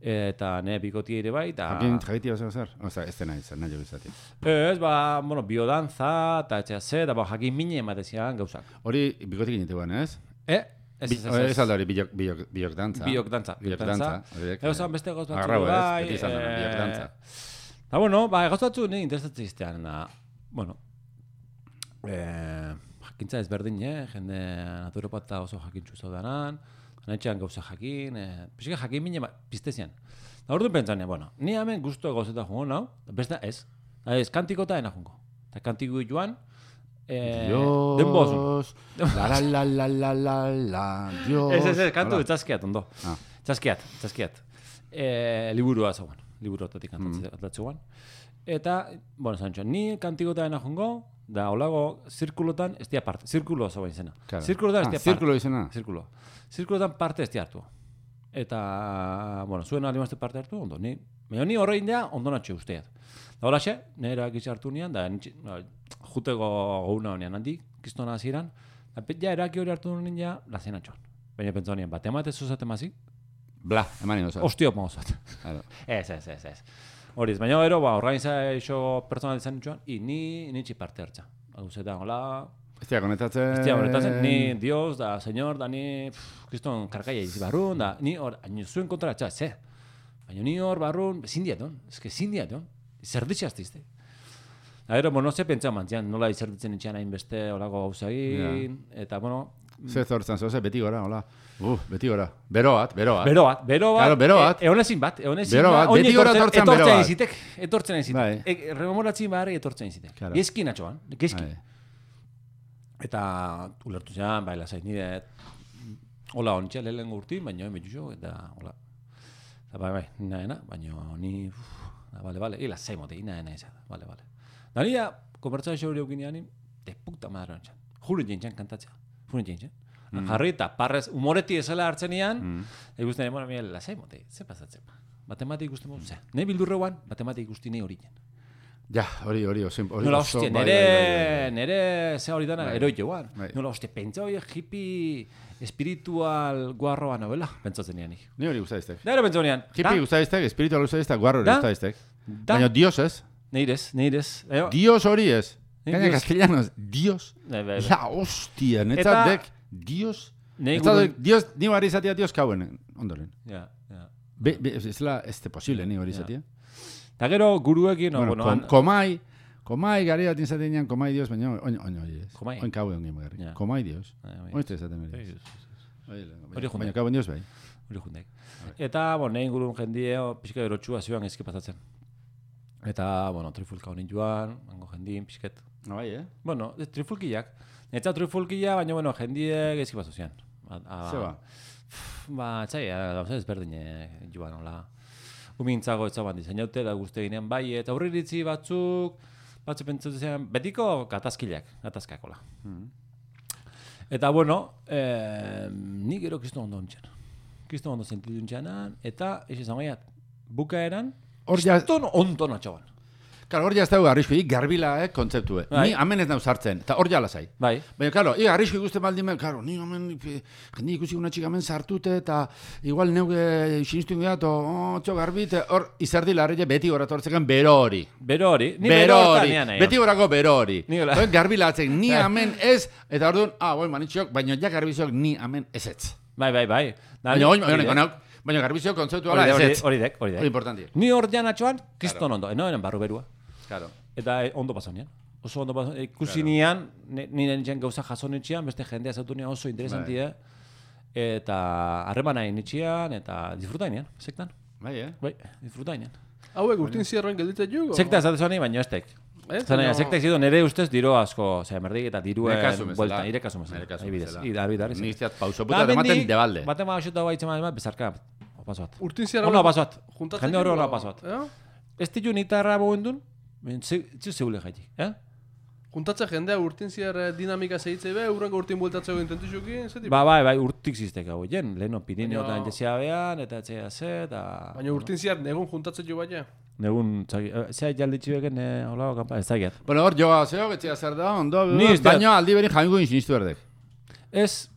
Eta ne bikotia ere bai, eta... Jakin jakitia zer zer? Oza, ez dena izan, nahi izati. Ez, ba, bueno, biodanza, eta etxea ze, eta ba, jakin mine ematezian gauzak. Hori, bikotik initeguan, ez? Eh? Ez, Bi- ez, ez, Ez alda hori, biok, biok, biok dantza. Biok dantza. Biok Biok dantza. dantza. horiek, Ego eh, zan beste gauz batzuk Agarrau, ez? bai. Beti izan dena, eh, biok dantza. Eta bueno, ba, gauz batzuk nire interesatzen iztean. Da, bueno, eh, jakintza ezberdin, eh? Jende naturopata oso jakintzu zaudanan, anetxean gauza jakin, eh, pixika jakin mine piztezian. Da orduan pentsanean, bueno, ni hemen guztu gauzeta jongo nau, beste ez. Ez, kantikota ena jongo. Eta kantiko joan, eh, denbo ozun. Dios, la la la la la la la, Dios. Ez, ez, ez, kantu Hola. etzaskiat, ondo. Ah. Tzaskiat, tzaskiat. E, liburua zauan, liburu otatik kantatzean. Eta, bueno, zantxoan, ni kantikota dena jongo, da olago zirkulotan ez dia parte. Zirkulo zauan izena. Claro. Zirkulotan ez Ah, dia parte. zirkulo izena. Zirkulo. Zirkulotan parte ez dia hartu. Eta, bueno, zuen alimazte parte hartu, ondo. Ni, baina ni horrein da, ondo natxe usteat. Da holaxe, nire egitxe hartu nian, da nitxe, no, juteko gauna honean handik, kistona hasieran, da pet ja eraki hori hartu nien ja, lazen atxoan. Baina pentsa honean, bat ematez zuzate mazik, Bla, eman ingo zat. ostio mauzat. Claro. Ez, ez, ez, ez. Horiz, baina gero, ba, organizaixo pertsonal izan nitxoan, i ni nitxi parte hartza. Hau zetan, hola... Ez dira konetatzen... Ez dira konetatzen, ni Dios, da, señor, da, ni... Pff, kriston karkaia izi barrun, da, ni hor, hain zuen kontra txat, ze. Baina ni hor barrun, ezin diaton, ez que ezin diaton. Zerditxe azteizte. Da, gero, bueno, ze pentsa mantzian, nola izerditzen itxean hainbeste olako gauza egin, eta, bueno... Zer zortzen zoze, beti gora, hola. Uh, beti gora. Bero bat, bero bat. Bero bat, bero bat. Claro, bero bat. E, egonezin bat, egonezin bero bat. Beti gora etortzen bero bat. Ezitek, etortzen ezitek. Bai. E, rememoratzen barri etortzen ezitek. Claro. Gezkin atxoan, gezkin. Bai. Eta ulertu zean, bai, lasait nire, hola ontsia lehen urti, baina hemen jutxo, eta hola. Eta bai, bai, nina ena, baina ni, uf, da, bale, bale, ila zaimote, ina ena ezada, bale, bale. Da nira, konbertsa xo hori aukinean, de puta madre ontsan. Juren jentzen kantatzea, juren jentzen. Mm. Jarri eta parrez, humoreti ezela hartzen ean, mm. ikusten emora mire, lasai mote, ze pasatzen. Matematik ikusten modu, ze, ne bildurreuan, matematik ikusten nahi hori jen. Ja, hori, hori, hori. Nola hostia, nere, nere, ze hori dana, eroi joan. Nola hostia, pentsa hori hippie espiritual guarroa novela, pentsatzen ean nik. Ni hori guztaiztek. Da ero pentsatzen ean. Hippie guztaiztek, espiritual guztaiztek, guarro hori guztaiztek. Baina Dios ez. Neirez, neirez. Dios hori ez. Gaina castellanos, Dios. Ja, hostia, netzat dek. Dios, Dios, ni hori izatea Dios kauen, ondoren. Ja, ja. Be, be, ez la, ez te posible, ni hori izatea. Eta gero guruekin, bueno, bueno, kom, komai, komai gari bat izaten ean, komai Dios, baina oin, oin, oin, komai. Oin kauen ongi magarri. Komai Dios. Oin ez izaten hori. Hori jundek. Baina kauen Dios bai. Hori jundek. Eta, bueno, nahi ingurun jendie, pixka erotxua zioan ezki pasatzen. Eta, bueno, trifulka honin joan, mango jendien, pixket. No bai, eh? Bueno, trifulkiak. Eta trifulkia, baina, bueno, jendie gezki paso zian. Zeba? Ba, txai, gauza ezberdine joan, hola. Umintzago etzaban diseinaute, da guzti ginean bai, eta aurri iritzi batzuk, batzuk pentsatu zian, betiko gatazkileak, gatazkak, hola. Mm. Eta, bueno, eh, ni gero kiston ondo ontsen. Kiston ondo sentidu ontsenan, eta, eixi zangaiat, bukaeran, kiston ondo natxaban. Claro, hor ja ez dago arrisku, ik garbila, eh, kontzeptue. Bai. Ni amen ez nahu sartzen, eta hor ja lasai. Bai. Baina, claro, ik arrisku ikusten baldin ben, claro, ni amen, jende ikusi una txik amen sartute, eta igual neuge sinistu ingeat, oh, txo garbite, hor izerdi larrile beti gora tortzekan bero hori. Bero hori. Ni bero hori. Beti gorako bero hori. Hor garbila atzen, ni amen ez, eta hor duen, ah, boi, manitxok, baina ja garbiziok ni amen ez ez. Bai, bai, bai. Baina, oin, oin, oin, baina garbizio kontzeptu ala ez ez. Hori dek, hori dek. Hori importanti. Ni hor jan atxoan, kiston ondo, eno eren barru berua. Claro. Eta ondo pasaunean. Oso ondo pasaunean. Ikusi nian, nire nintzen gauza jasonetxean, beste jendea zautu nian oso interesantia. Eta harremana initxian, eta disfrutainean, sektan. Bai, eh? Bai, disfrutainean. Hauek urtin zierroen gelditzen jugo? Sekta ez atezuan baina estek. Zena, sekta izidu nire ustez diro asko, ose, merdik eta diruen buelta, nire kasu mesela. Nire kasu mesela. Ida, arbi darri. Niztiat pauso puta dematen debalde. Baten ma baxuta baitzen ma bezarka, paso bat. Urtin zierra... Ona paso bat. Juntatzen jende horre ona paso bat. Ez ditu nitarra bogendun, zeu zeule jaitik, eh? Juntatzen jendea urtin zier dinamika zehitzei be, urrenko urtin bueltatzeko intentuzukin, zeti? Ba, bai, bai, urtik ziztek hau jen, leheno Pirineo eta entzea behan, eta etzea ze, eta... Baina urtin zier negun juntatzen jo baina? Negun, zea jalditxu egen, hola, kampa, ez zagiat. Bueno, hor joa zeo, getzea zer da, ondo, baina aldi berin jamingo insinistu erdek. Ez,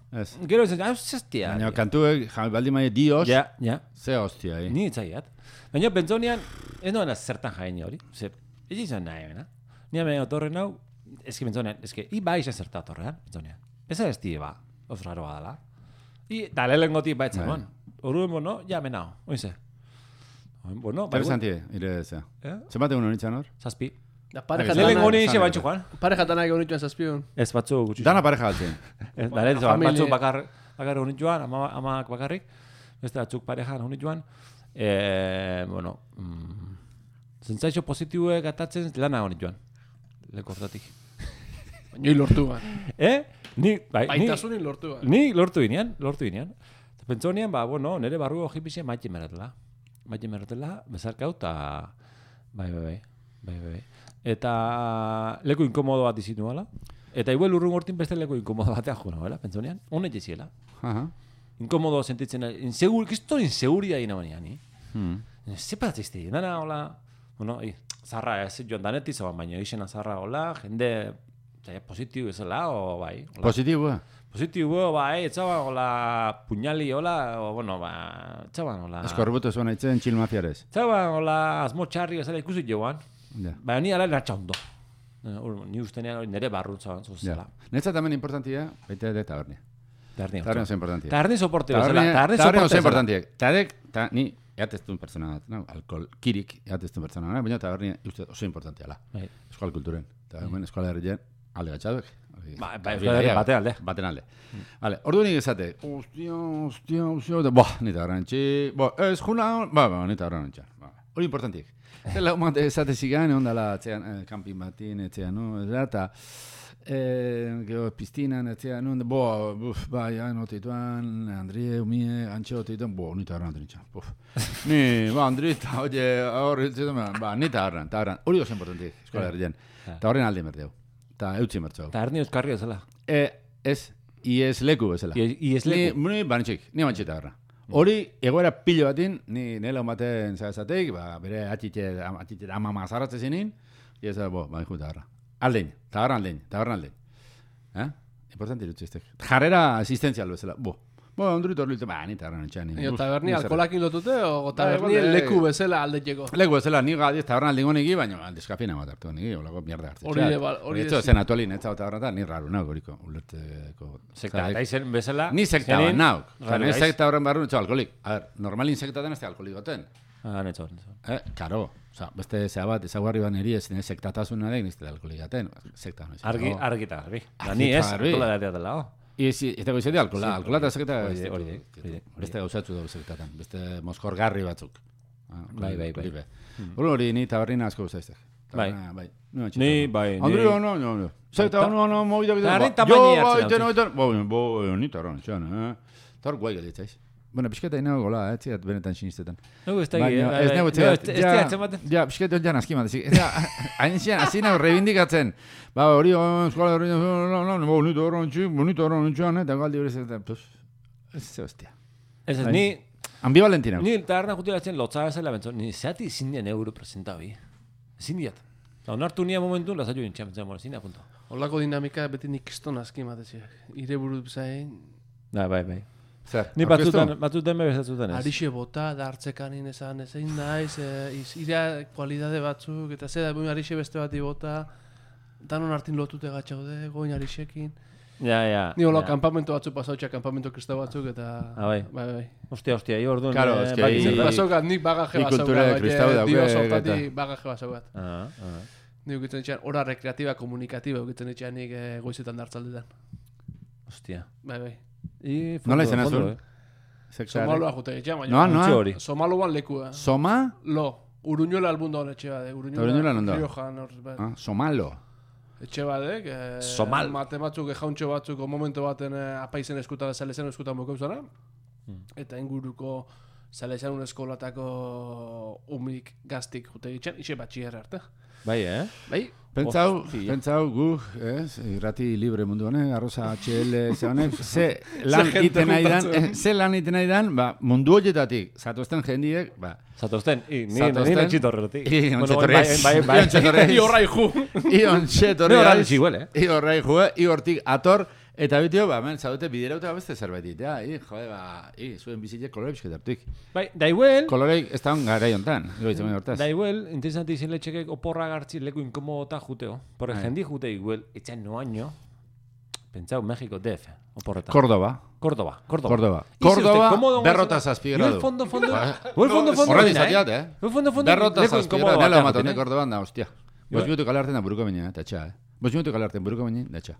gero ez, hau zestia. Baina kantuek, baldi maia Dios, ja, ja. Ze hostia, eh? Ni ez zagiat. Baina pentsonean, ez noena zertan jaini hori, ze, ez izan nahi, bena. Ni hemen otorren hau, ez ki pentsonean, ez ki, i ba izan zerta otorrean, pentsonean. Ez ez di, ba, oz raro badala. I, da lehen goti ba etzen, bon. Horuen, bueno, ja menao, oinze. Bueno, interesanti, ire zea. Zenbat egun honitzen hor? Zazpi. Lehen honi ixe bantxu, Juan. Pareja tanak egun nituen zazpion. Ez batzu gutxu. Dana pareja galtzen. Da lehen batzu bakar egun nituen, amak bakarrik. Beste batzuk pareja egun nituen. Bueno, zentzaixo positiue gatatzen lana egun nituen. Leko hortatik. Baina lortu ban. Eh? Ni, bai, baitasunin lortu ban. Ni lortu inean, lortu inean. Pentsonian, ba, bueno, nire barru ojipizia maite meratela. Maite meratela, bezarkau, eta... Bai, bai, bai, bai, bai. Eta leku inkomodo bat izitu nuela. Eta igual urrun hortin beste leku inkomodo batea jo nuela, pentsonian. Honet jeziela. Inkomodo sentitzen, insegur, kiston inseguria ina baina, ni. Zepat izte, dana, hola... Bueno, zarra ez joan daneti zaban, baina izena zarra, hola, jende... Positibo ezela, o bai. Positibo, eh? Positibo, bai, etxaban, hola, puñali, hola, o, bueno, ba, etxaban, hola... Eskorbuto zuen aitzen txil mafiarez. Etxaban, hola, asmo txarri, ezela ikusi joan. Baina ni ala natxa ondo. Ni ustenean hori nire barrutza zuzela. Netzat hemen importantia, baita ere tabernia. Tabernia. Tabernia oso importantia. Tabernia soporte bezala. Tabernia soporte soporte importantia. Tadek, ta, ni, eateztun pertsona bat, no? Alkohol, kirik, eateztun pertsona bat, baina tabernia uste oso importantia la. Eskual kulturen. Eta hemen eskual herrien alde gatxaduek. Ba, euskal herri bate alde. Baten alde. Vale, ordu nik esate, ostia, ostia, ostia, boh, nita garrantzi, boh, ez juna, ba, ba, nita garrantzi. Hori importantiek. Zela, umate esate zigan, ondala, etxean, kampin batin, etxean, no, eta, gero, piztinan, etxean, no, bo, buf, ba, ja, notituan, Andrie, umie, antxe notituan, bo, nita garrantzi nitxan, buf. Ni, ba, Andrita, oie, horri, ba, nita garrantzi, eta garrantzi, hori oso importantiek, eskola herrien. Eta horren alde merdeu. Eta eutzi mertzu hau. Eta herni euskarri bezala. E, ez, iez leku bezala. Iez leku. Ni, ni banitxik, ni banitxita garra. Hori, egoera pilo batin, ni nela umaten zazateik, ba, bere atxitxe, atxitxe, amama zarratze zinin, iez, bo, ba, ikuta garra. Aldein, eta garra aldein, eta garra aldein. Eh? Importante irutzi eztek. Jarrera asistenzial bezala, bo. Bo, ondurito hori ba, nita garra nintxan. Io, taberni alkolakin lotute, o taberni leku bezala aldetxeko? Leku bezala, ni gadi, taberna aldingo niki, baina aldezkapina bat hartu niki, olako mierda hartu. Hori de, hori de. Esto zen atualin, ez zauta horretan, ni raru nauk horiko, ulerteko. Sekta, eta izen bezala. Ni sekta bat nauk. Ni sekta horren barru netxo alkolik. A ver, normalin sekta den ez da alkolik goten. Ah, netxo, netxo. Eh, karo. Osa, beste zea bat, ezaguarri ban eri ez, sektatasun nahi, nizte alkolik gaten. Sekta, no. Argi, argita, argi. Ni ez, alkola datea dela, oh. Izi, ez dago izate alkola, alkola eta sekta... Hori, hori. Beste gauzatzu dago sektatan, beste moskorgarri batzuk. Bai, bai, bai. Hori hori, ni taberrina asko guztaiztek. Bai. Ni, bai, ni... Andrio, no, no, no. Sekta, no, no, movida... Tabernin tamaini hartzen. Jo, bai, bai, bai, bai, ni tabernin, txan, eh? Tar guai galitzaiz. Bueno, pixketa inago gola, ez ziat benetan sinistetan. Nugu ez da gi, ez nago ez diatzen baten. Ja, pixketa jan aski bat, hain zian, hasi nago reivindikatzen. Ba, hori, eskola hori, no, no, no, bonito horron txik, bonito horron txan, eta galdi hori zetan, pues, ez ze hostia. Ez ez, ni... Ambivalentina. Ni taberna jutiratzen lotza bezala bentzo, ni zeati ezin dian euro presentabi. Ezin diat. Onartu nia momentu, lasatu nintxan, bentzen, ezin da, punto. Olako dinamika beti nik kiston aski mateziak. Ire buru zain... Da, bai, bai. Zer, ni batzutan, batzutan bebezatzen ez. Arixe bota, da hartzekanin esan, ezein naiz, ira kualidade batzuk, eta ze da, buen arixe beste bati bota, danon hartin lotute gatxaude, goin arixekin. Ja, ja. Ni hola, kampamento batzuk pasautxa, kampamento kristau batzuk, eta... Ah, bai. Bai, bai. Ostia, ostia, hi orduan... Claro, es que... Nik basokat, nik bagaje basaukat, dio sortati bagaje basaukat. Ah, ah. Nik ukitzen etxean, hora rekreatiba, komunikatiba, ukitzen etxean nik goizetan dartzaldetan. Ostia. Bai, bai. Nola izan azun? Somaloa jute etxean, baina. Noa, noa? Somaloan lekua. Soma? Lo. Uruñola albunda hon etxe bade. Uruñola nondo? Riojan hor. Ah, Somalo. Etxe badek. Somal. Mate batzuk, jauntxo batzuk, momento baten apaizen eskuta, zalezen eskuta moko zara. Eta inguruko zalezen un eskolatako umik gaztik jute etxean, ixe batxierra arte. Bai, eh? Bai. Pentsau, pentsau gu, ez, irrati libre mundu honek, arroza H L, ze honek, ze lan iten nahi dan, ze lan iten nahi dan, ba, mundu horietatik, zatozten jendiek, ba... Zatozten, i, ni nire txitorrerotik. I, ontxetorrez. Bai, bai, bai. I horrai ju. I ontxetorrez. Ne horrai txiguel, eh? I horrai ju, i hortik ator, eta bitio, ba, men, zaudete biderauta beste zerbaitit, ja, i, jode, ba, i, zuen bizitzek kolore bizketartuik. Bai, da igual... Koloreik ez da hon gara jontan, goitzen hortaz. Da igual, interesanti izin letxekek oporra gartzi leku inkomodota juteo. Por jendi jute igual, etxan no año, pentsau, México, D F, oporretan. Córdoba. Córdoba, Córdoba. Córdoba. Córdoba, berrota zazpigradu. Yo el fondo, fondo... Yo el fondo, fondo... Horra dizatiat, eh? Yo el fondo, fondo... Berrota zazpigradu, nela matone Córdoban da, hostia. Bos minutu kale hartzen da buruko baina, eta txa, eh? Bos minutu kale hartzen buruko baina, da txa.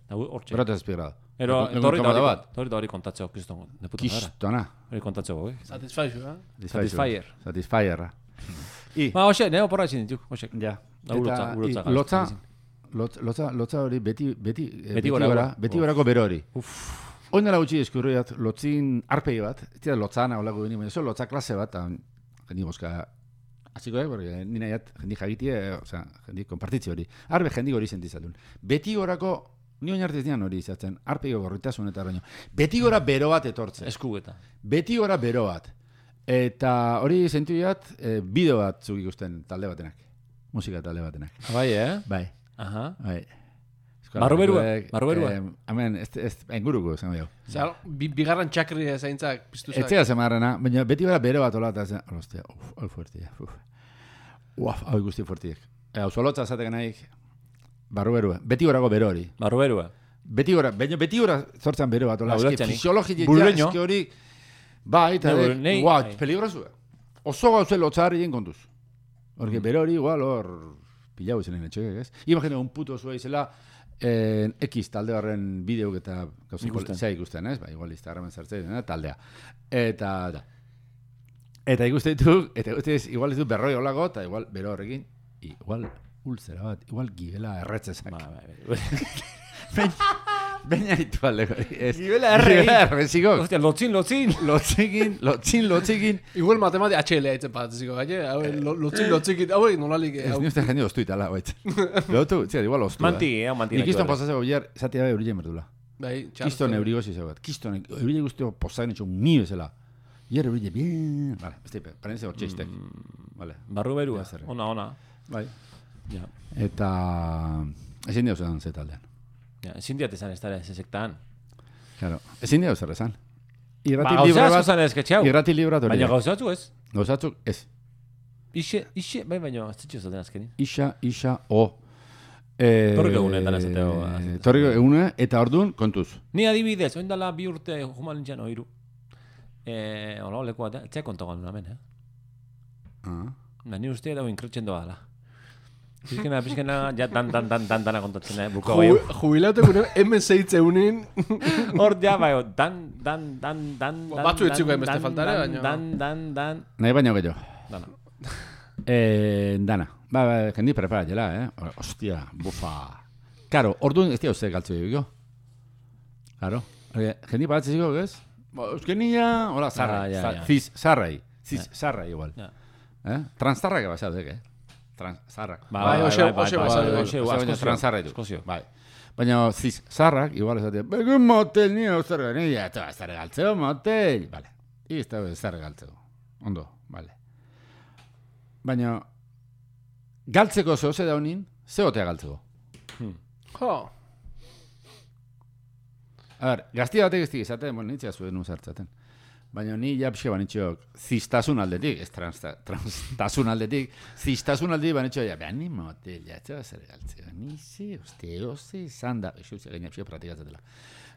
Berrota zazpigradu. Ero, torri da hori kontatzeo, kiston. Kistona. Hori kontatzeo, eh? Satisfaizu, eh? Satisfyer. Satisfyerra. Ma, hoxe, neo porra ezin dituk, hoxe. Ja. Urotza, urotza. Lotza, lotza, lotza hori beti, beti, beti gora, beti gorako bero hori. Oin dela gutxi eskurriat, lotzin arpegi bat, ez dira lotzana olako gini, baina lotza klase bat, jendi boska, hasiko, eh, ni nahiat, jendi jagitie, oza, jendi kompartitzi hori. Arbe jendi hori sentizatun. Beti gorako, ni oin artez dian hori izatzen, arpegi gorritasun eta baino. Beti gora bero bat etortzen. Eskugeta. Beti gora bero bat. Eta hori sentuiat, e, bideo bat zuk ikusten talde batenak. Musika talde batenak. Bai, eh? Bai. Aha. Bai. Barruberua, barruberua. Hemen, ez, ez, enguruko, esan behau. Zer, bigarran txakri zaintzak piztuzak. Etzea zemarrena, baina beti gara bero bat ola, eta zen, hostia, uf, hau fuertia, uf. Uaf, hau guzti fuertiek. Hau solotza zatek nahi, Barru berua. Beti gorago bero hori. Barru berua. Beti gora, baina beti gora sortzen bero bat. Ola, eski fisiologia Burreño. eski hori... Bai, eta Ne, de... nei- Guau, ai. peligrosu. Oso gauze lotzarri egin kontuz. Porque Mm. bero hori igual hor... Pilau izan etxeak, ez? Imagina, un puto zua izela... Eh, X talde horren bideok eta... Gauzen Ikusten. zea ikusten, ez? Ba, igual Instagramen zartzen, eh, taldea. Eta... Da. Eta ikuste ditu, eta ikuste ditu, igual ditu berroi olago, eta igual bero horrekin, igual ulzera bat, igual gibela erretzezak. Ba, ba, Baina ditu aldeko. Gibela erre. Gibela erreziko. Hostia, lotzin, lotzin. Lotzikin, lotzin, lotzikin. Igual matematika H L haitzen patziko, gaine, hau, lotzin, lotzikin, hau, nolalik, Ez hau. ni uste jende oztu itala, baitz. Lotu, zera, igual oztu. Manti, eh, manti. Nik kiston posatzeko bilar, zati dabe eurile merdula. Bai, Kiston eurigosi zegoet. Kiston eurile guztio posatzen etxo mi bezala. Hier eurile, bien. Vale, beste, parenze hor txeistek. Vale. Barru berua. Ja, zer. Ona, ona. Bai. Ja. Eta... Ezin dira zetan zetaldean. Ja, ezin diat esan ez dara ez sektan. Claro. Ezin dira zer esan. Ba, Irrati gauza libre asko bat... zan esketxau. Irrati libre bat hori. Baina gauzatzu ez. Gauzatzuk, ez. Ixe, ixe, bai, baina ez zitxo zaten azkenin. Isa, isa, o. Eh, Torriko egunetan esateko, eh, Torriko egune, eta orduan, kontuz. Ni adibidez, oin dala bi urte juman nintzen oiru. Eh, hola, leku bat, etxea kontagoan hemen, eh? Ah. Da, ni uste dago inkretxen doa da. Pizkena, pizkena, ja dan, dan, dan, dan, dana kontatzen, eh? Buko bai. Jubilatu egunen, hemen zeitze unin. Hor, ja, bai, dan, dan, dan, dan, Ba, dan, batzu etxiko dan, hainbeste dan, faltare, dan, baina- Dan, dan, dan, Nahi baino gehiago. dana. Eh, dana. Ba, ba, jendi preparatela, eh? Ostia, bufa. Karo, orduan ez dira uste galtzu egiko. Karo. Jendi paratzen ziko, ez? Ba, euskenia, hola, zarra. Ah, ja, za- ja. Ziz, zarrai. Ziz, zarrai igual. Ja. Eh? Transtarrak basadek, eh? Trans, zarrak. Ba, Bai, oxe- oxe bai, basado, bai, oxe, oxe, baina askozio, transarra ditu. askozio. Bai. Baina ziz, zarrak, igual esatea, begun motel nio zer gani, ja, eta zer galtzeo motel. Vale. Izta zer galtzeo. Ondo, vale. Baina, galtzeko zehose daunin, zehotea galtzeko. Jo, A ber, gazti batek ez dik izaten, bueno, nintzea zuen uzartzaten. Baina ni japxe banitxok ziztasun aldetik, ez transta- transtasun aldetik, ziztasun aldetik banitxo, ja, behan ni motel, ja, etxea zer galtzeo. Ni zi, uste, oze, izan da, eixo, gaina pixo pratikatzatela.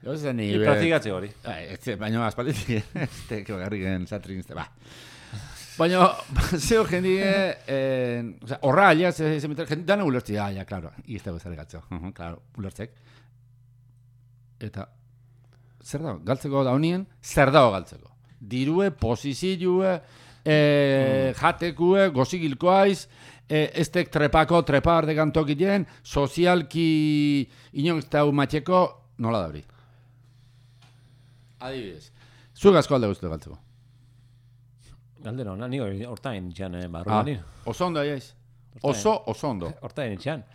Oze, ni... Ni praktikatze hori. Bai, ez, baina aspalditik, este, que bagarrik gen zatrin, este, ba. Baina, zeo jendi, eh, o sea, horra alia, ze, ze meter, jendi, dana ulertzi, ah, ja, claro, izte bezare galtzeo, uh -huh, claro, ulertzek. Eta, zer dago, galtzeko da honien, zer dago galtzeko. Dirue, posizioe, eh, jatekue, gozigilkoaiz, eh, estek trepako, trepar de gantokien, sozialki inonztau matxeko, nola dabri. Adibidez. Zuek asko alde guztu galtzeko. Galdera hona, ni hori hortain itxan, eh, barru Ah, ni. oso ondo aiaiz. Oso, oso ondo. Hortain itxan.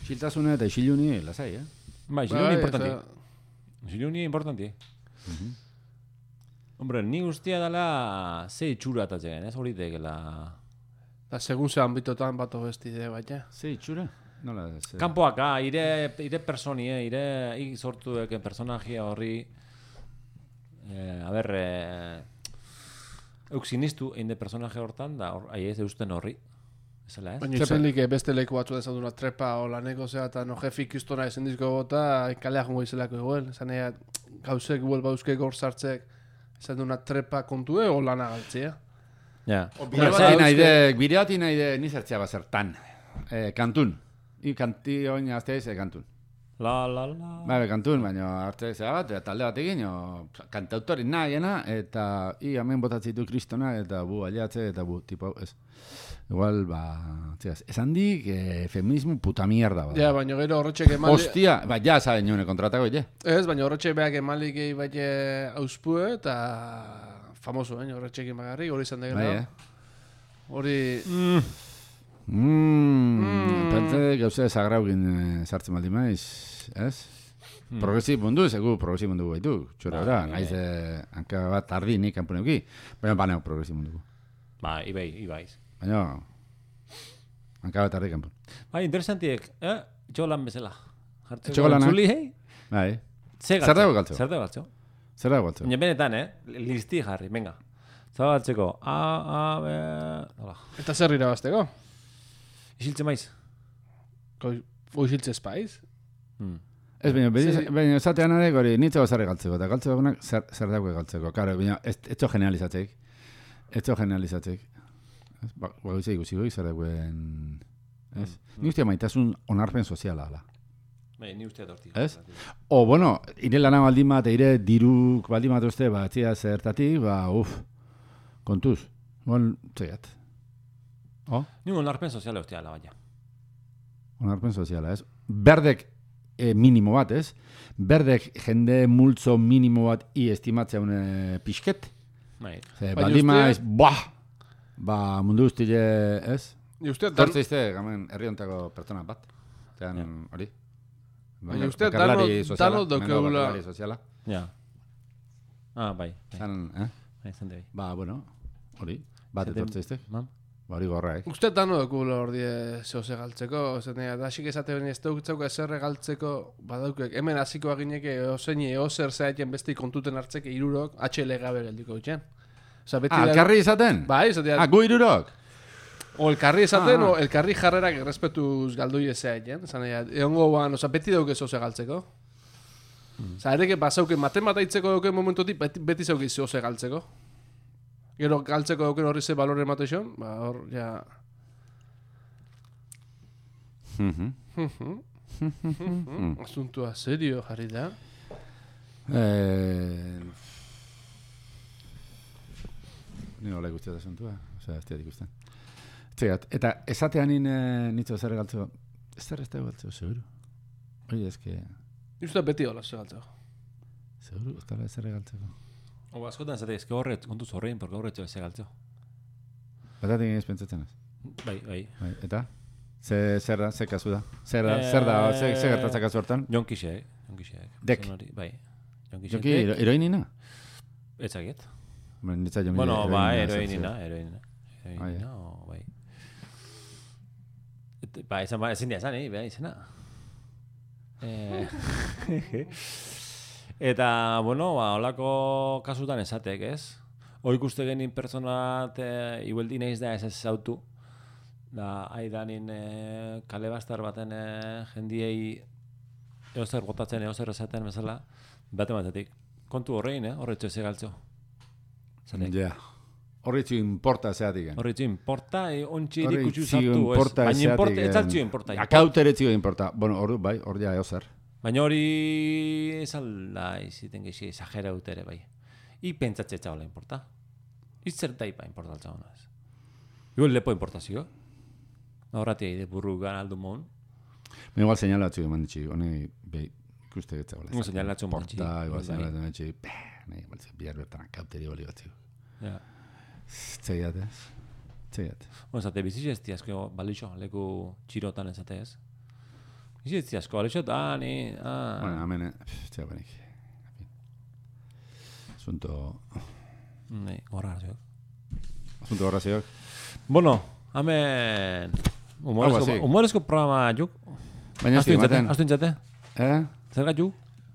Xiltasune eta isiluni, lasai, eh? Bai, bai, ziluni importanti. osea, Ziluni importanti. Hombre, ni guztia dela ze itxura atatzen, ez hori tegela... da segun ze ambitotan bato bestide, baina. Ze itxura? Nola, ze... Kanpoak, ah, ire, ire personie, ire ik sortu eken personajia horri... Eh, a ber, eh, euk sinistu egin de personaje hortan, da hor, ahi ez eusten horri. Ezela, ez? Baina izenlik beste leku batzu dezatuna trepa o laneko zea eta no jefi ikustona ezen dizko gota kalea jongo izelako igual. Esan ea gauzek igual bauzkek hor sartzek esan duna trepa kontue o lana galtzea. Ja. Bire bati nahi de, bire bati nahi de, nizertzea bazertan. Eh, kantun. I kanti oin azteiz, eh, kantun. La, la, la... Ba, kantun, baina arte zera bat, eta talde bat egin, o, kantautori nahiena, eta i hemen botatzitu kristona, eta bu aliatze, eta bu, tipo, ez. Igual, ba, tziaz, esan dik, eh, feminismo puta mierda, ba. Ja, baina gero horretxek emali... Hostia, ba, ja, saben nune kontratako, je. Ez, baina horretxek beak emalik egi baite auspue eta famoso, eh, horretxekin bagarri, hori izan Bai, degela. eh? Hori... Mmm, Mm. pentsa gauze sagraukin eh, sartzen baldin maiz, ez? Mm. Progresib mundu, segu progresib mundu baitu, txura ora, Bai, naiz eh, hanka bat ardi nik kanpuneuki, baina baneo progresib mundu. Ba, ibai, ibaiz. Baina, hanka bat ardi kanpun. Bai, interesantiek, eh? Txolan bezala. Jartzeko Etxeko lanak. entzuli, hei? Bai, Zer Zer dago galtzeko? Zer dago galtzeko? zer da guatzu? Baina benetan, eh? Listi jarri, venga. Zer galtzeko? A, A, B... Hola. Eta zer irabazteko? Isiltzen maiz? Oixiltze espaiz? Hmm. Ez, baina, Sí. baina, esatean arek hori, nitzeko zer galtzeko, eta galtzeko egunak zer, zer dago galtzeko. Karo, baina, ez, etxo generalizatzeik. Etxo generalizatzeik. Ez, ba, ba, ikusi goi zer dagoen... Ez? Mm. Ni ustea maitasun onarpen soziala, ala. Bai, ni uste dorti. Ez? O, bueno, ire lana baldin bat, ire diruk baldin bat uste, ba, etzia zertatik, ba, uf, kontuz. Bon, zeiat. O? Ni onarpen soziala ustea la baina. Onarpen soziala, ez? Berdek e, minimo bat, ez? Berdek jende multzo minimo bat i estimatzea une pixket. Bai. Ze, Baina baldin uste- maiz, buah! Ba, mundu guztile, ez? Ni uste, dan, Tortzeizte, gamen, herri hontako pertsona bat. Zean, hori? Baina uste, bakarlari dano- soziala, dano hemen dago daukagula- bakarlari soziala. Ja. Ah, bai. bai. Zean, eh? Bai, zende bai. Ba, bueno, hori, bat Zende- etortzeizte. Mam? Ba, hori gorra, eh? uste dano dukula hor die zehose galtzeko, zenea, da hasik esate bene ez dugutzauka ezer galtzeko, badaukek, hemen hasiko agineke ozein eozer zeaiten beste kontuten hartzeke irurok, H L gabe geldiko itxen. Osa, beti Ah, da- elkarri izaten? Bai, esatea, Ah, gu irurok? o elkarri esaten, Ah, ah. o elkarri jarrerak errespetuz galdoi ezeaiten, zanea, egongo ban, osa, beti dauke zehose galtzeko. Osa, ereke basauke matemataitzeko dauke momentotik, beti, beti zauke zehose galtzeko. Gero galtzeko dauken horri ze balore emateixon, ba, hor, ja... Mhm. Mm. Asuntua serio jarri da. Eh... Ni hola guztia da asuntua, osea, ez diat ikusten. Zeat, eta esatean nien nitzo zer galtzeko, ez zer ez da galtzeko, seguro. Oye, ez que, Justa beti hola segaltzeko. seguro, ez da zer galtzeko. O, askotan zate, ezke horret, kontuz horrein, porque horretxo ez galtzeo. Batatik ez pentsatzen ez. Bai, bai. Bai, eta? Ze, zer da, ze kasu da? Zer da, Eh, zer da, ze, ze gertatzen kasu hortan? Jonkixeak, jonkixeak. Dek. Zen hori, bai. Jonkixeak. Joki, hero- heroinina? Etzaget. Bueno, nitza jomi Bueno, bai, heroinina, heroinina, heroinina. Ah, Heroinina, o, bai. Et, ba, ezan, ba, ezin dia esan, eh, bai, izena. Eh, eta, bueno, ba, holako kasutan esatek, ez? Hoi ikuste genin pertsonat, e, igueldi naiz da ez ez zautu. Da, aidanin e, kale bastar baten e, jendiei eozer botatzen, eozer esaten bezala, bate batetik. Kontu horrein, eh? Horretxo ez egaltzo. Zatek. Ja. Horritzu importa zeatik. Horretxo importa, e, ontsi Horri erikutsu txio zartu, ez. importa Baina ezeatik, importa, ez em, altzio importa. Akautere txio importa. Bueno, hor, bai, hor ja eozer. Baina hori ez alda iziten gexi exagera ere bai. I pentsatze txaula importa. I zertaipa importa altzauna ez. Igual lepo importazio. Horratia ide burru gan aldu mon. Me igual señalatzu eman ditxi, honi, be, ikuste getzagoela. Igual señalatzu eman ditxi. Porta, igual Bai. señalatzu eman ditxi, peh, nahi, igual ze, bihar bertan akauteri boli batzu. Ja. Zeiat ez? Zeiat. Bueno, zate biziz ez asko balixo, leku txirotan ezate ez. Biziz ez asko, balixo, ah, ni, ah. Bueno, hemen, eh, zea benik. Asunto, Nei, gorra zio. asunto horra zeok. Bueno, hemen... Humorezko, así. humorezko programa juk. Baina Astu ez intzate, ematen. astu intzate. Eh? Zer gatu?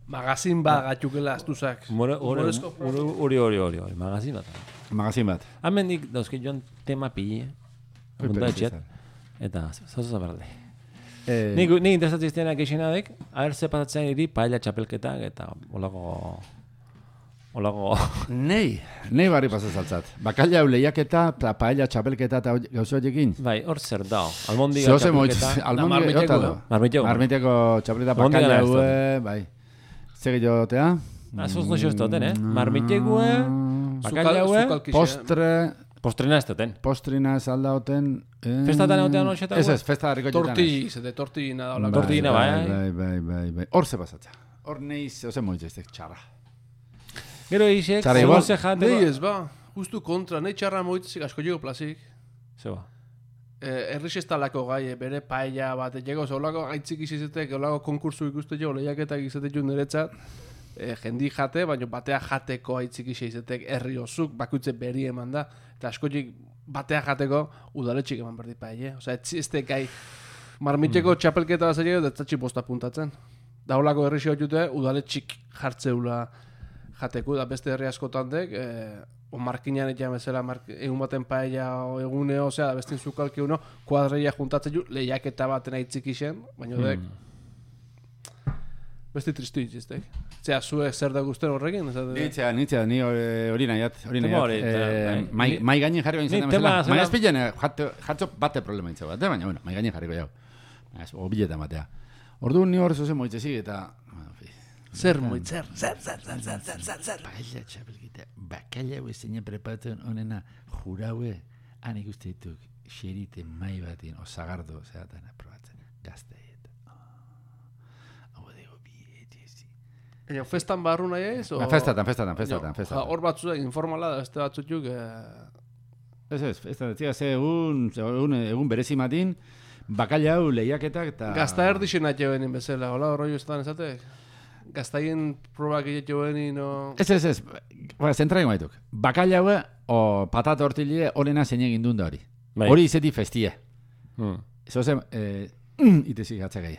Magazin ba gatxukela astuzak. Humore- hori, Humorezko hori, hori, hori, hori, hori, magazin bat. Magazin bat. Hemen nik dauzke joan tema pille. Ui, Mundu pero etxet. zizar. Eta, zozo berde. Eh, Nik, nik interesatzen iztenak geixenadek, haber ze pasatzen iri paella txapelketak eta olako... Olako... Nei, nei barri pasazaltzat. Bakaila lehiaketa, eta paella txapelketa eta gauzo horiekin. Bai, hor zer dao. Almondiga Zehose moitz, txapelketa. almondi marmiteko, jota eh? do. Marmiteko. Marmiteko txapelketa Almondiga bakaila ez dut. hue, bai. Zer jotea? Ah, zoz no xostoten, eh? Marmitekue, bakaila hue, Postre, postrena ez duten. postrina ez aldauten. Eh, Festatan egotean hoxeta Ez hue? ez, festa harriko jetan. Torti, zede tortina da hola. Tortina, bai. Bai, bai, bai, bai. Hor ze pasatza. Hor neiz, ose moitz ez txarra. Gero isek, Txara, igual- zoze jate... Nei ez ba, justu kontra, nei txarra moitzik asko jego plazik. Zeba. Eh, errix ez talako gai, eh, bere paella bat, jego, olako gaitzik izizetek, olako konkursu ikuste jo, lehiaketak izatek jo niretzat, eh, jendi jate, baina batea jateko aitzik izizetek herri osuk, bakutze beri eman da, eta askotik batea jateko udaletxik eman berdi paella. Osea, ez ez gai marmiteko txapelketa bat zer da tzatxi posta puntatzen. Da holako herri jute, udaletxik jartzeula jateko, da beste herri askotan dek, eh, o markinan eta bezala, mark, egun baten paella o eguneo, osea, da bestin zukalki uno, kuadreia juntatzen ju, lehiaketa baten aitzik isen, baina dek, mm. besti tristu itxiztek. Zea, zuek zer da guztien horrekin? Nitzea, nitzea, ni hori nahiat, hori nahiat. Mai gainen jarriko inzaten bezala. Mai azpilen, jatzo bate problema itza bat, baina, bueno, mai gainen jarriko jau. Obiletan batea. Orduan ni hor zozen moitzezik eta... Zer moit, zer, zer, zer, zer, zer, zer, zer, zer. Paella txapelkita, bakala hue zeina preparatzen honena juraue, han ikuste dituk, xerite mai batin, osagardo, zeratan aprobatzen, gaztaiet. Hau dago bietezi. Ego, festan barru nahi ez? Festatan, festatan, festatan, festatan. Hor batzuek informala da, beste batzutuk... Ez ez, festatan, zia, ze egun berezi matin, bakala hau lehiaketak eta... Gazta erdixen atxe benin bezala, hola, horroi ustetan ezatek? Gaztaien probak egiteko benin, o... Ez, ez, ez, zentraien gaituk. Bakala hau o patata hortilie horrena zein egin duen da hori. Hori izeti festie. Hmm. Zozen, eh, mm, itezik gatzakai.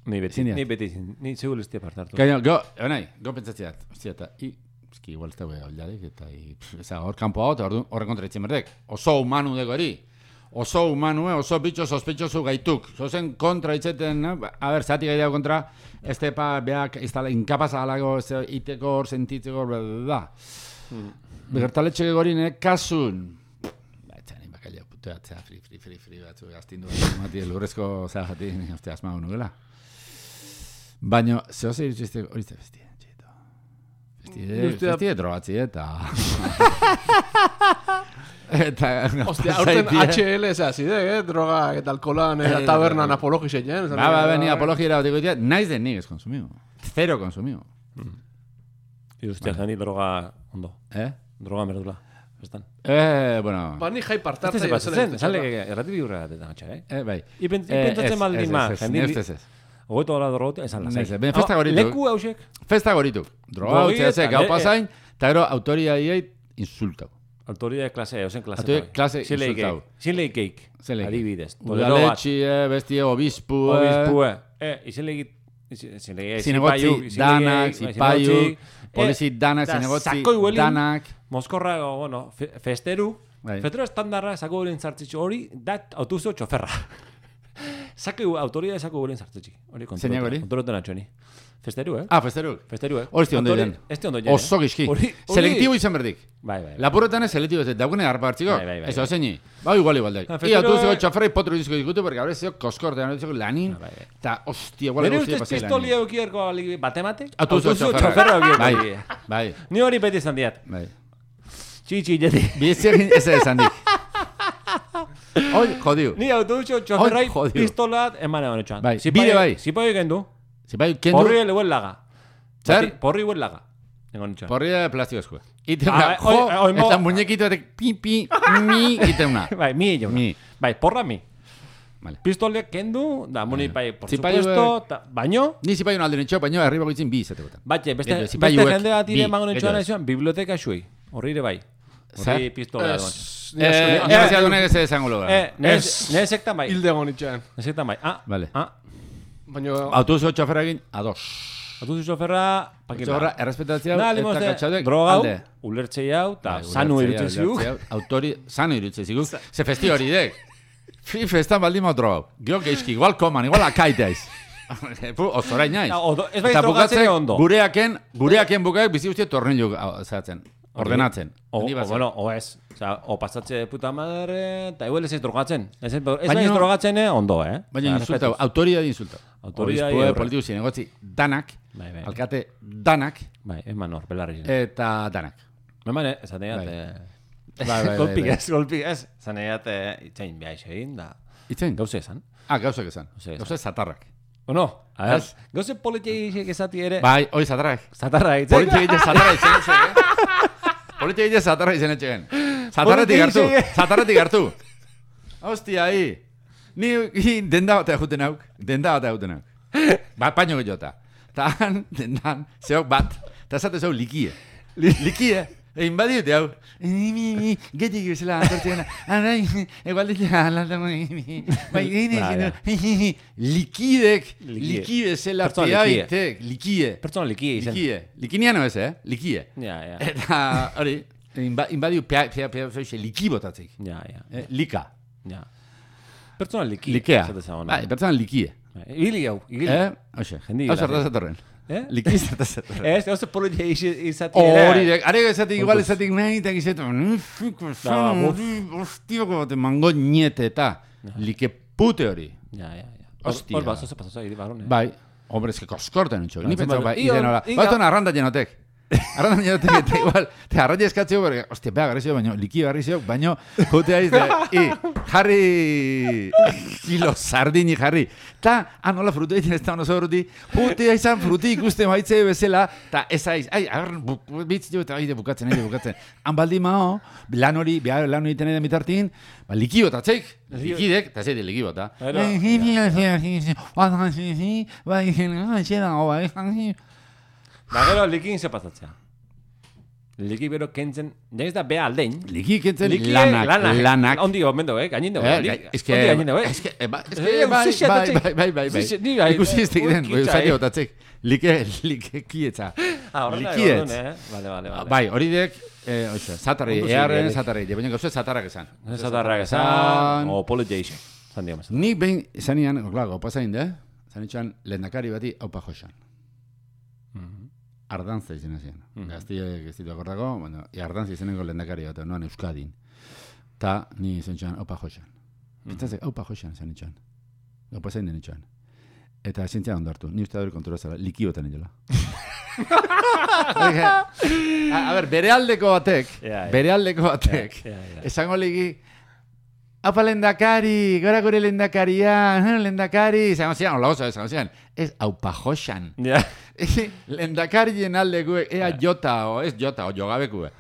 Ni beti, ni beti, ni segur ez tia partartu. Gaino, go, onai, go pentsatziat, ostia, eta, i, eski, igual ez da hau aldarik, eta, i, eza, hor kanpo hau, eta horren kontra itzen berdek. Oso humanu dego hori. Oso humanu, oso bitxo sospetxosu gaituk. Zozen kontra itzeten, a ber, zati gai dago kontra, ez tepa, beak, inkapaz alago, iteko hor, sentitzeko, bla, bla, bla. Bertaletxe gegorinek, kasun. Ba, etxan, bakaila, puteatzea, fri, fri, fri, fri, batzu, gaztindu bat, mati, lurrezko zera jati, uste, asma honu gela. Baina, zehose irutxizte, hori zte festie, txito. Festie, festie drogatzi, eta... Eta... Ostia, aurten H L ez azide, eh? Droga eta alkoholan eta tabernan apologizek, eh? Ba, ba, ba, ni apologia otiko ditia, naiz den nik ez konsumiu. Zero konsumiu. Irustia, zani droga ondo. Eh? Droga merdula. Estan. Eh, bueno... Ba, ni jai partartza... Ez ez zen, zale, erratibi urra gatetan gatxa, eh? Eh, bai. Ipentzatzen baldin ma, jendili... Ez, ez, ez. Ogoeto hola drogote, esan lasai. Ben, festa goritu. Leku hausek. Festa goritu. Droga hautzea ze, gau pasain, eta gero autoria dieit insultau. Autoridad de klase, ozen klase. Autoridad de klase insultau. Zilei geik. Adibidez. Udaletxi, bestie, obispu. Obispu, eh. Izilei git. Zinegotzi, danak, zipaiu. Polizi, danak, zinegotzi, danak. Moskorra, bueno, festeru. Festeru estandarra, zako guren zartzitxo hori, dat autobuso txoferra. Zako autoridad zako guren zartzitxi. Zeinak hori? Kontroloten atxoni. Festeru, eh? Ah, festeru. Festeru, eh? Hori ondo diren. Este ondo diren. Oso gizki. Selektibo izan berdik. Bai, bai. Lapurretan ez selektibo ez, daukune harpa hartziko. Bai, bai, bai. Ez ozeini. Ba, igual, igual daik. Ia, autobuseko txaferra ipotru dizko dikutu, porque gaur ez zio koskortean, ez zio lanin. Eta, hostia, igual guztia pasai lanin. Nire ustez pistolia eukierko batematek? Autobuseko txaferra eukierko. Bai, bai. Ni hori beti esan diat. Bai. Txitsi, jeti. Biziagin ez esan dik. Hoi, jodiu. Ni autobuseko txaferrai pistolat eman egon etxan. Bai, bide bai. Zipai gendu. Zipai kendu. Porri ele huen laga. Zer? Porri huen laga. Porri de plastiko eskue. Iteuna, jo, eta muñekito batek pi, pi, mi, iteuna. Bai, mi egin. Mi. Bai, porra mi. Vale. Pistoleak kendu, da muni bai, por supuesto, baino... Ni zipai un alde netxo, baino herri bagoitzin bi izate botan. Batxe, beste jende bat ire mango netxoan aizuan, biblioteka xuei. Horri ere bai. Horri pistolea duan. Eh, nire ziadunek ez esango loga. Eh, nire sektan bai. Hilde egon itxean. Nire sektan bai. Ah, vale. Ah. Baina... Autobuso txoferra egin, ados. Autobuso txoferra, pakila. Txoferra, errespetatzea, eta katxaudek, droga hau, ulertzei hau, eta sanu irutze ziguk. Autori, sanu irutze ziguk. Ze festi hori dek. Fi festan baldin mao droga hau. Gio geizki, igual koman, igual akaitea iz. Ozora inaiz. Ez bai drogatzen ondo. Gureaken, gureaken bukaek bizi guztiet tornillo zahatzen. Ordenatzen. O, bueno, o ez. Osa, o pasatze puta madre, eta igual ez ez drogatzen. Ez ez drogatzen, ondo, eh? Baina insultau, autoria di insultau. Autoria di horre. Politiku zinegotzi, danak, alkate danak. Bai, eman hor, belarri. Eta danak. Eman, eh, zaneat, Bai, bai, golpik ez, golpik ez. Zaneat, itzain behar egin, da. Itzain? Gauze esan. Ah, gauzak esan. Gauze zatarrak. O no? Az, gauze politiak ezati ere. Bai, hoi zatarrak. Zatarrak, itzain. Politiak zatarrak izan etxegen. Politiak zatarrak izan etxegen. Zatarretik hartu, zatarretik hartu. Hostia, hi. Ni denda bat egiten hauk, denda bat egiten hauk. Bat paino gehiota. Ta han, dendan, zeok bat, eta esate zeu likie. Likie. Egin badiute hau. Getik bezala, antortzena. Arai, egual ditea, alantamo. Likidek, likide zela piaitek, likie. Pertsona likie izan. Likie. Likiniano ez, eh? Likie. Ja, ja. Eta, hori, Inba, inbadiu pia, pia, pia, pia, liki botatzik. Ja, ja. Eh, lika. Ja. Pertsona liki. Likea. Zateza Bai, pertsona likie. Igili hau, igili. Eh? Oxe, Jendi hau gracia. zertaz etorren. Eh? Liki zertaz etorren. Ez, oso poloia izati ere. Hori, dek, are esatik igual Onkuz. esatik nahi, eta gizetu, Da, buf. hostioko bate mango niete eta like pute hori. Ja, ja, ja. Hostia. Hor, bat, oso pasoza, hiri barrone. Bai, hombre, es que koskorten utxo. Ni Batzen pentsau, bai, badu. Igo, iden hola. igo. Batzen arranda jenotek. Arranda jenotek, eta igual, te arrandi eskatzeo, porque, hostia, pega, garri zio, baino, liki garri zio, baino, pute aiz, i, jarri, kilo sardini jarri. Ta, anola frutu egiten ez da oso fruti, pute aizan fruti ikusten baitze bezala, ta ez aiz, ai, agar, bitz jo, eta aide bukatzen, aide bukatzen. Han baldi mao, lan hori, behar lan hori tenen bitartin, ba, liki botatzeik, likidek, eta zeite liki bota. Da gero likin ze pasatzea. Liki bero kentzen, ja ez da bea aldein. Liki kentzen Liki lanak, lanak. lanak. Ondi gomendo, eh? Gainendo, Eh, eh? gai- es que, Ondi gainendo, eh? es que, eh, ba- es Eh, que, bai, zixia bai, datzek. bai, bai, bai, bai. Zixia, ni bai, Ikusi ez tegiten, urkitza, zati eh? botatzek. Like, like kietza. Ah, horrela Likietz. egon, eh? Vale, vale, vale. Bai, hori dek, eh, oixe, zatarri, Ondo earren zigialik. zatarri, baina gauze zatarrak esan. Zatarrak esan, o apologization. Zan digamos. Nik behin, zanian, klago, pasain de, zanitxan, lehendakari bati, haupa josan. Ardantza izena zian. Mhm. Gaztiek ez ditu akordako, bueno, ardantza izeneko lehendakari bat, noan Euskadin. Ta, ni izan txan, haupa josan. Pentsatzek, haupa josan zan itxan. Haupa zain den itxan. Eta zintzia ondartu, ni uste dut kontura zela, liki botan inola. a, a ber, bere aldeko batek, Ja, ja. bere aldeko batek, Ja, ja. esango ligi, apa lehendakari, gora gure lehendakaria, lehendakari, izango zian, hola oso, izango zian, ez haupa josan. Ja. Lehendakarien aldeko, ea jota, o ez jota, o jogabekue.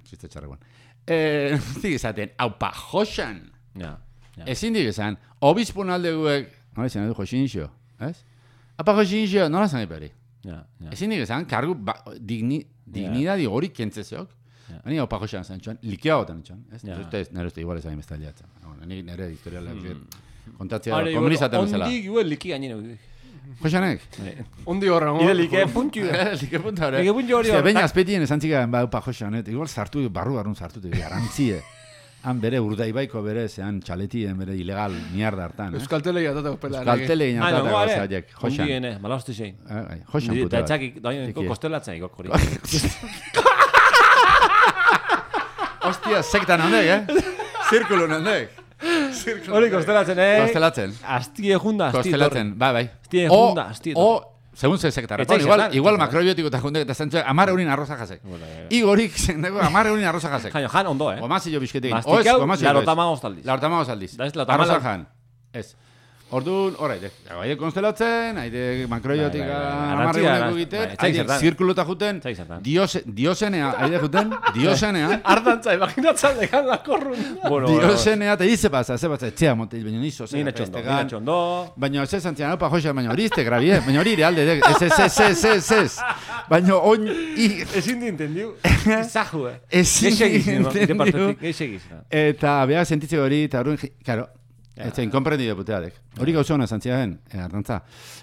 Txiste txarreguan. Eh, zik esaten, haupa josan. Ja. Ja. Ezin dik esan, obispun aldekuek, nola izan edu josinxo, ez? Apa josinxo, nola zan eperi. Ja. Ja. Ezin dik esan, kargu, ba, digni, dignidadi hori kentzezeok. Ja. Ni haupa josan zan txuan, likea gotan txuan, ez? Ja. Nire uste, nire uste igual ezagin bestaliatzen. Ni nire historiala, kontatzea, Are, komunizatu bezala. Ondik, igual liki gainero. Josanek? Ondi horren, Ide like puntu. Like punta hori. Like puntu hori. Ostia, baina azpetien esan txikan, ba, upa josanet, igual sartu, barru barrun sartu, garantzie. Han bere urdaibaiko bere, zean txaletien bere ilegal mierda hartan. Euskaltelegi atatak pela. Euskaltele Ah, inatata no, gauza are. haiek, josan. Ondiene, malaste zein. Josan puta Eta bat. etxakik, daien, Tiki. kostelatzen ikok hori. Hostia, sektan handek, eh? Zirkulun handek. Hori kostelatzen, eh? Kostelatzen. Astie junda, astie Kostelatzen, bai, bai. Astie O, junda, astie o, segun ze sektarra. Etxai Igual, sektan. igual makrobiotiko eta jundek, eta zentzu, amar eurin arroza jasek. Igorik, zendeko, amar eurin arroza jasek. Jaino, jan ondo, eh? Gomazillo bizketekin. Mastikau, Oez, gomazillo larota ez. magoz taldiz. Larota magoz aldiz. Da ez larota Arroza magoz. jan. Ez. Orduan, horreide. Haide konstelatzen, haide makroiotika Bai, bai, bai. amarre Arrantzia, guneko arantz- egiten, bai, etxai haide zertan. zirkuluta juten, Etxai zertan. diose, diosenea, haide juten, diosenea, Ardantza, imaginatzen dekan la korrun. Bueno, diosenea, eta dize pasa, ze batza, etxea motel, baina nizo, Ni zera natxondo, ni pestegan. natxondo. Baina ez zantzian, opa joxa, baina hori izte grabi, eh? Baina hori ire alde, dek, ez, ez, ez, ez, ez, ez. Baina oin, i, Ezin di entendiu. Izahu, eh? Ezin di Geixegiz, no? Ide entendiu. partetik, geixegiz. no? eta behar sentitze hori, eta hori, karo, ez zen, komprendido puteadek. Hori gauza hona zantzian, eh, ardantza,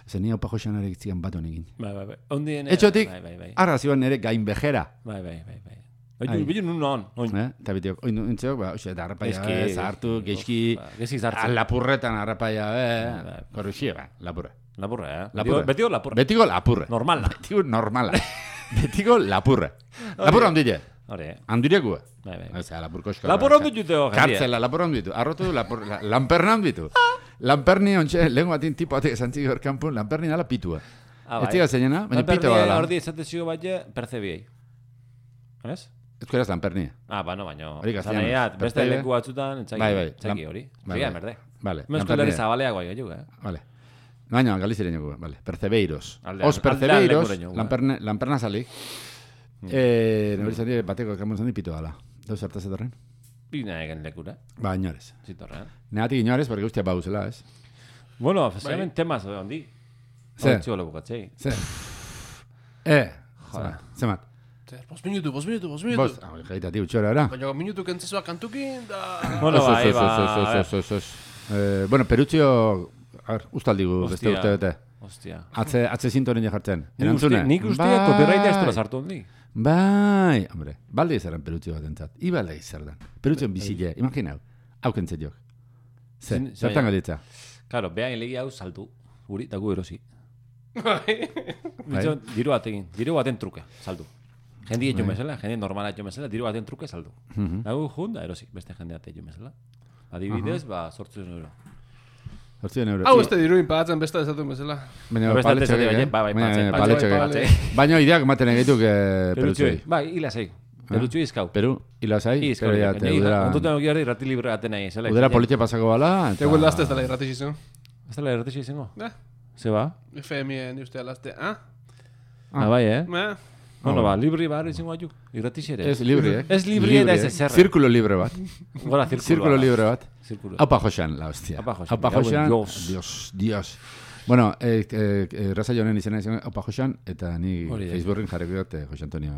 zen ni opa joxan arek zian bat honekin. Bai, bai, bai. Ondien... Etxotik, Bai, bai, bai. arra ziban nire gainbejera. Bai, bai, bai, bai. Ai. Bai, bilu nun non, oin. Eh? Eta bitiok, oin entzeok, ba, oxe, da harrapaia, Eski, eh, zahartu, uf, geizki, ba, geizki zartzen. lapurretan harrapaia, eh, bai. korruxie, ba, lapurre. Lapurra, eh? Lapurra. Betiko lapurra. Betiko lapurre. Normala. Betiko normala. Betiko lapurre. Lapurra ondile. Hori, eh? Handirekua. Bai, bai. Osea, lapurko eskola. Lapurra ondu jute ho, jendia. Kartzela, lapurra ondu ditu. Arrotu, lapur, la, lamperna ondu ditu. Lamperni ontxe, lehen batin tipo batek esan txik horkanpun, lamperni nala pitua. Ah, Ez txiga zeinena, baina pito Lampernia badala. Ordi esatezio baie, percebiei. Ez? Ez kueraz lamperni. Ah, bano, baino. Hori castellano. Zanaiat, beste Percebe. leku batzutan, entzaki, Bai, bai. entzaki Lam- hori. bai, Bai, bai. merde. Vale. Mestu lerri zabaleak bai, aiu, eh? Vale. Baina, galiziren joku, vale. Percebeiros. Aldean- Os percebeiros, aldean lekuren lamperna, lamperna salik. Eh, nori zari bateko kamun zandi pito dala. Dau zertaz etorren? Bina egen lekura, Ba, inorez. zitorrean. Neatik inorez, porque guztia bauzela, ez? Bueno, oficialmente temas hondi. Ze? Ze? Txolo bukatzei. Ze? Eh, Joder. zemat. Bos minutu, bos minutu, bos minutu. Bos, ah, jaita ti utxora, era? Baina minutu kentzizua kantukin, da... Bueno, Os, bai, os, os, ba. os, os, os, os. Eh, bueno, Perutxio, a ver, ustaldigu, beste Hostia. urte bete. Hostia. Atze, atze sintonin jartzen. Nik uste, nik uste Bai. copyright ez dura sartu hondi. Bai, hombre, balde izaren perutzi bat entzat. Ibalde izerdan. Perutzen bizile, imaginau. Hau kentzet jok. Ze, Zin- zertan galditza. Claro, behan legi hau saldu. Guri, dago erosi. Bai. Bitxo, diru batekin, diru baten truke, saldu. Jendi etxo mesela, jendi normala etxo mesela, diru baten truke saldu. Dago jun, da erosi, beste jende bat etxo mesela. Adibidez, ba, sortzen euro. Hortzien euro. Hau, este diruin pagatzen besta desatu bezala. Baina Beste paletxo alde gehi, zaten, eh? bai, bai, Baina paletxe, paletxo paletxe, gehi. paletxe. Baina ideak maten egeituk Perutzui, perutzoi. bai, hila zei. Perutzui izkau. Peru, ilasai, Izkau, pero ya te udera... ontutan oki hori rati libre gaten nahi, zela. Udera politia pasako bala, eta... Tego laste ez dela irrati izan. Ez dela erratixi izango? Eh, Ze ba? F M I ni ustea laste, ah? Ah, bai, eh? Eh? Bueno, ba, libri bar izango aju. Irratixi ere. Ez libre, eh? Ez libre eta ez eh? ezerra. Zirkulo libre bat. Gora, zirkulo. Zirkulo libre bat. Zirkulo. Aupa Joxan, la hostia. Aupa Joxan, Aupa me cago en Joxan, Dios. Dios, Dios. Bueno, eh, eh, eh, raza jonen izena izan Aupa Joxan, eta ni Hori da. Facebooken jarriko dut eh, Jose Antonio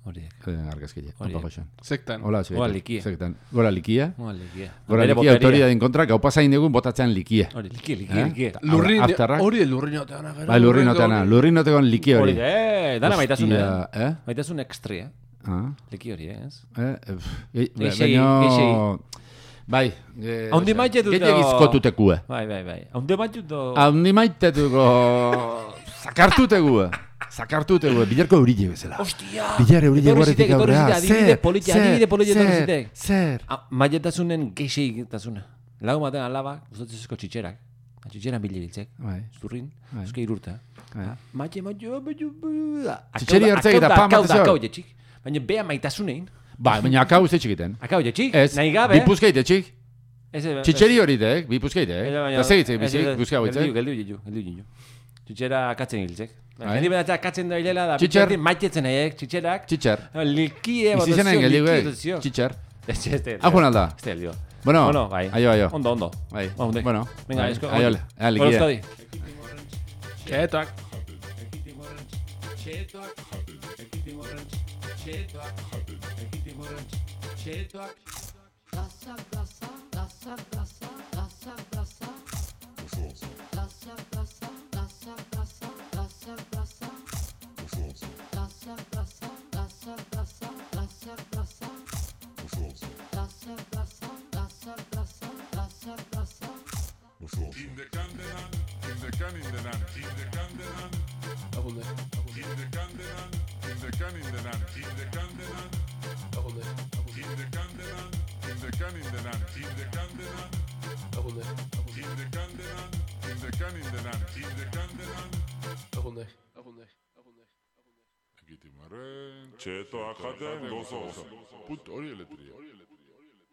Horiek. eh, argazkile. Hori Aupa da. Joxan. Sektan. Hola, Gora likia. Sektan. Gora likia. Gora likia. Gora Bere likia boteria. autoridadin kontra, gaupa zain dugun botatzean likia. Hori, likia, likia, Eh? likia. Lurrin, Afterrak. hori lurrinotean agero. Bai, lurrinoteana, lurrinotekon liki hori. Hori, eh, dana maitasun, eh? Hostia, eh? Maitasun ekstri, eh? Ah, Liki hori, eh? ez? eh, eh, pff, eh, Geixei, baino- geixei. Bai, eh, Haundi osea, maite dut gehiago da- izkotutekue. Bai, bai, bai. Haunde batut do... Haundi maitetuko zakartutegue. Zakartutegue, bilarko eurile bezala. Ostia! Bilar eurile Etorri guarretik zitek, etorri aurrea. zitek, adibide politia, adibide politia etorri zer, zitek. zer. Ah, maietasunen geixeitasuna. Lagu baten alaba, gustatzezko txitxerak. Txitxeran bilibiltzek. Bai, Zurrin, Bai. euske irurta. bai. Maite, maite, maite, Txitxeri hartzek eta pam Akau da, batezio. akau jetxik. Baina bea maitasunein. Bai, baina akau ze txikiten. Akau jetxik, Ez, nahi gabe. bipuzkeite txik. Ez, ez, Txitxeri hori dek, bipuzkeite, ez, eh? baina- Eta segitzek, ez, ez, ez, bipuzke hau Geldiu, itzek. geldiu, geldiu, geldiu, geldiu. Txitxera akatzen hiltzek. Bai. Jendi benatzea akatzen da hilela da. Txitxer. bitxerdi Maitetzen nahiek, txitxerak. Txitxer. Likie, Izizenen geldiu, eh? likidazio. Txitxer. Ez, ez, ez. Hau alda. Ez, ez, ez. Bueno, Bueno, bai. aio, aio. Ondo, ondo. Bai, Ondo. bueno. Venga, bai. esko. Aio, ea, Gora likide. Euskadi. Ketak. In the Candelan, in the Canindenan, in the Candelan, Agunde. in the Candelan, in the Canindenan, in the Candelan, Agunde. in the Candelan, in the Canindenan, in the Candelan, Agunde. in the Candelan, in the Canindenan, in the Candelan. Agunde. Agunde. Agunde. Ekitimaren, txetoak jaten gozoz. Put hori eletria.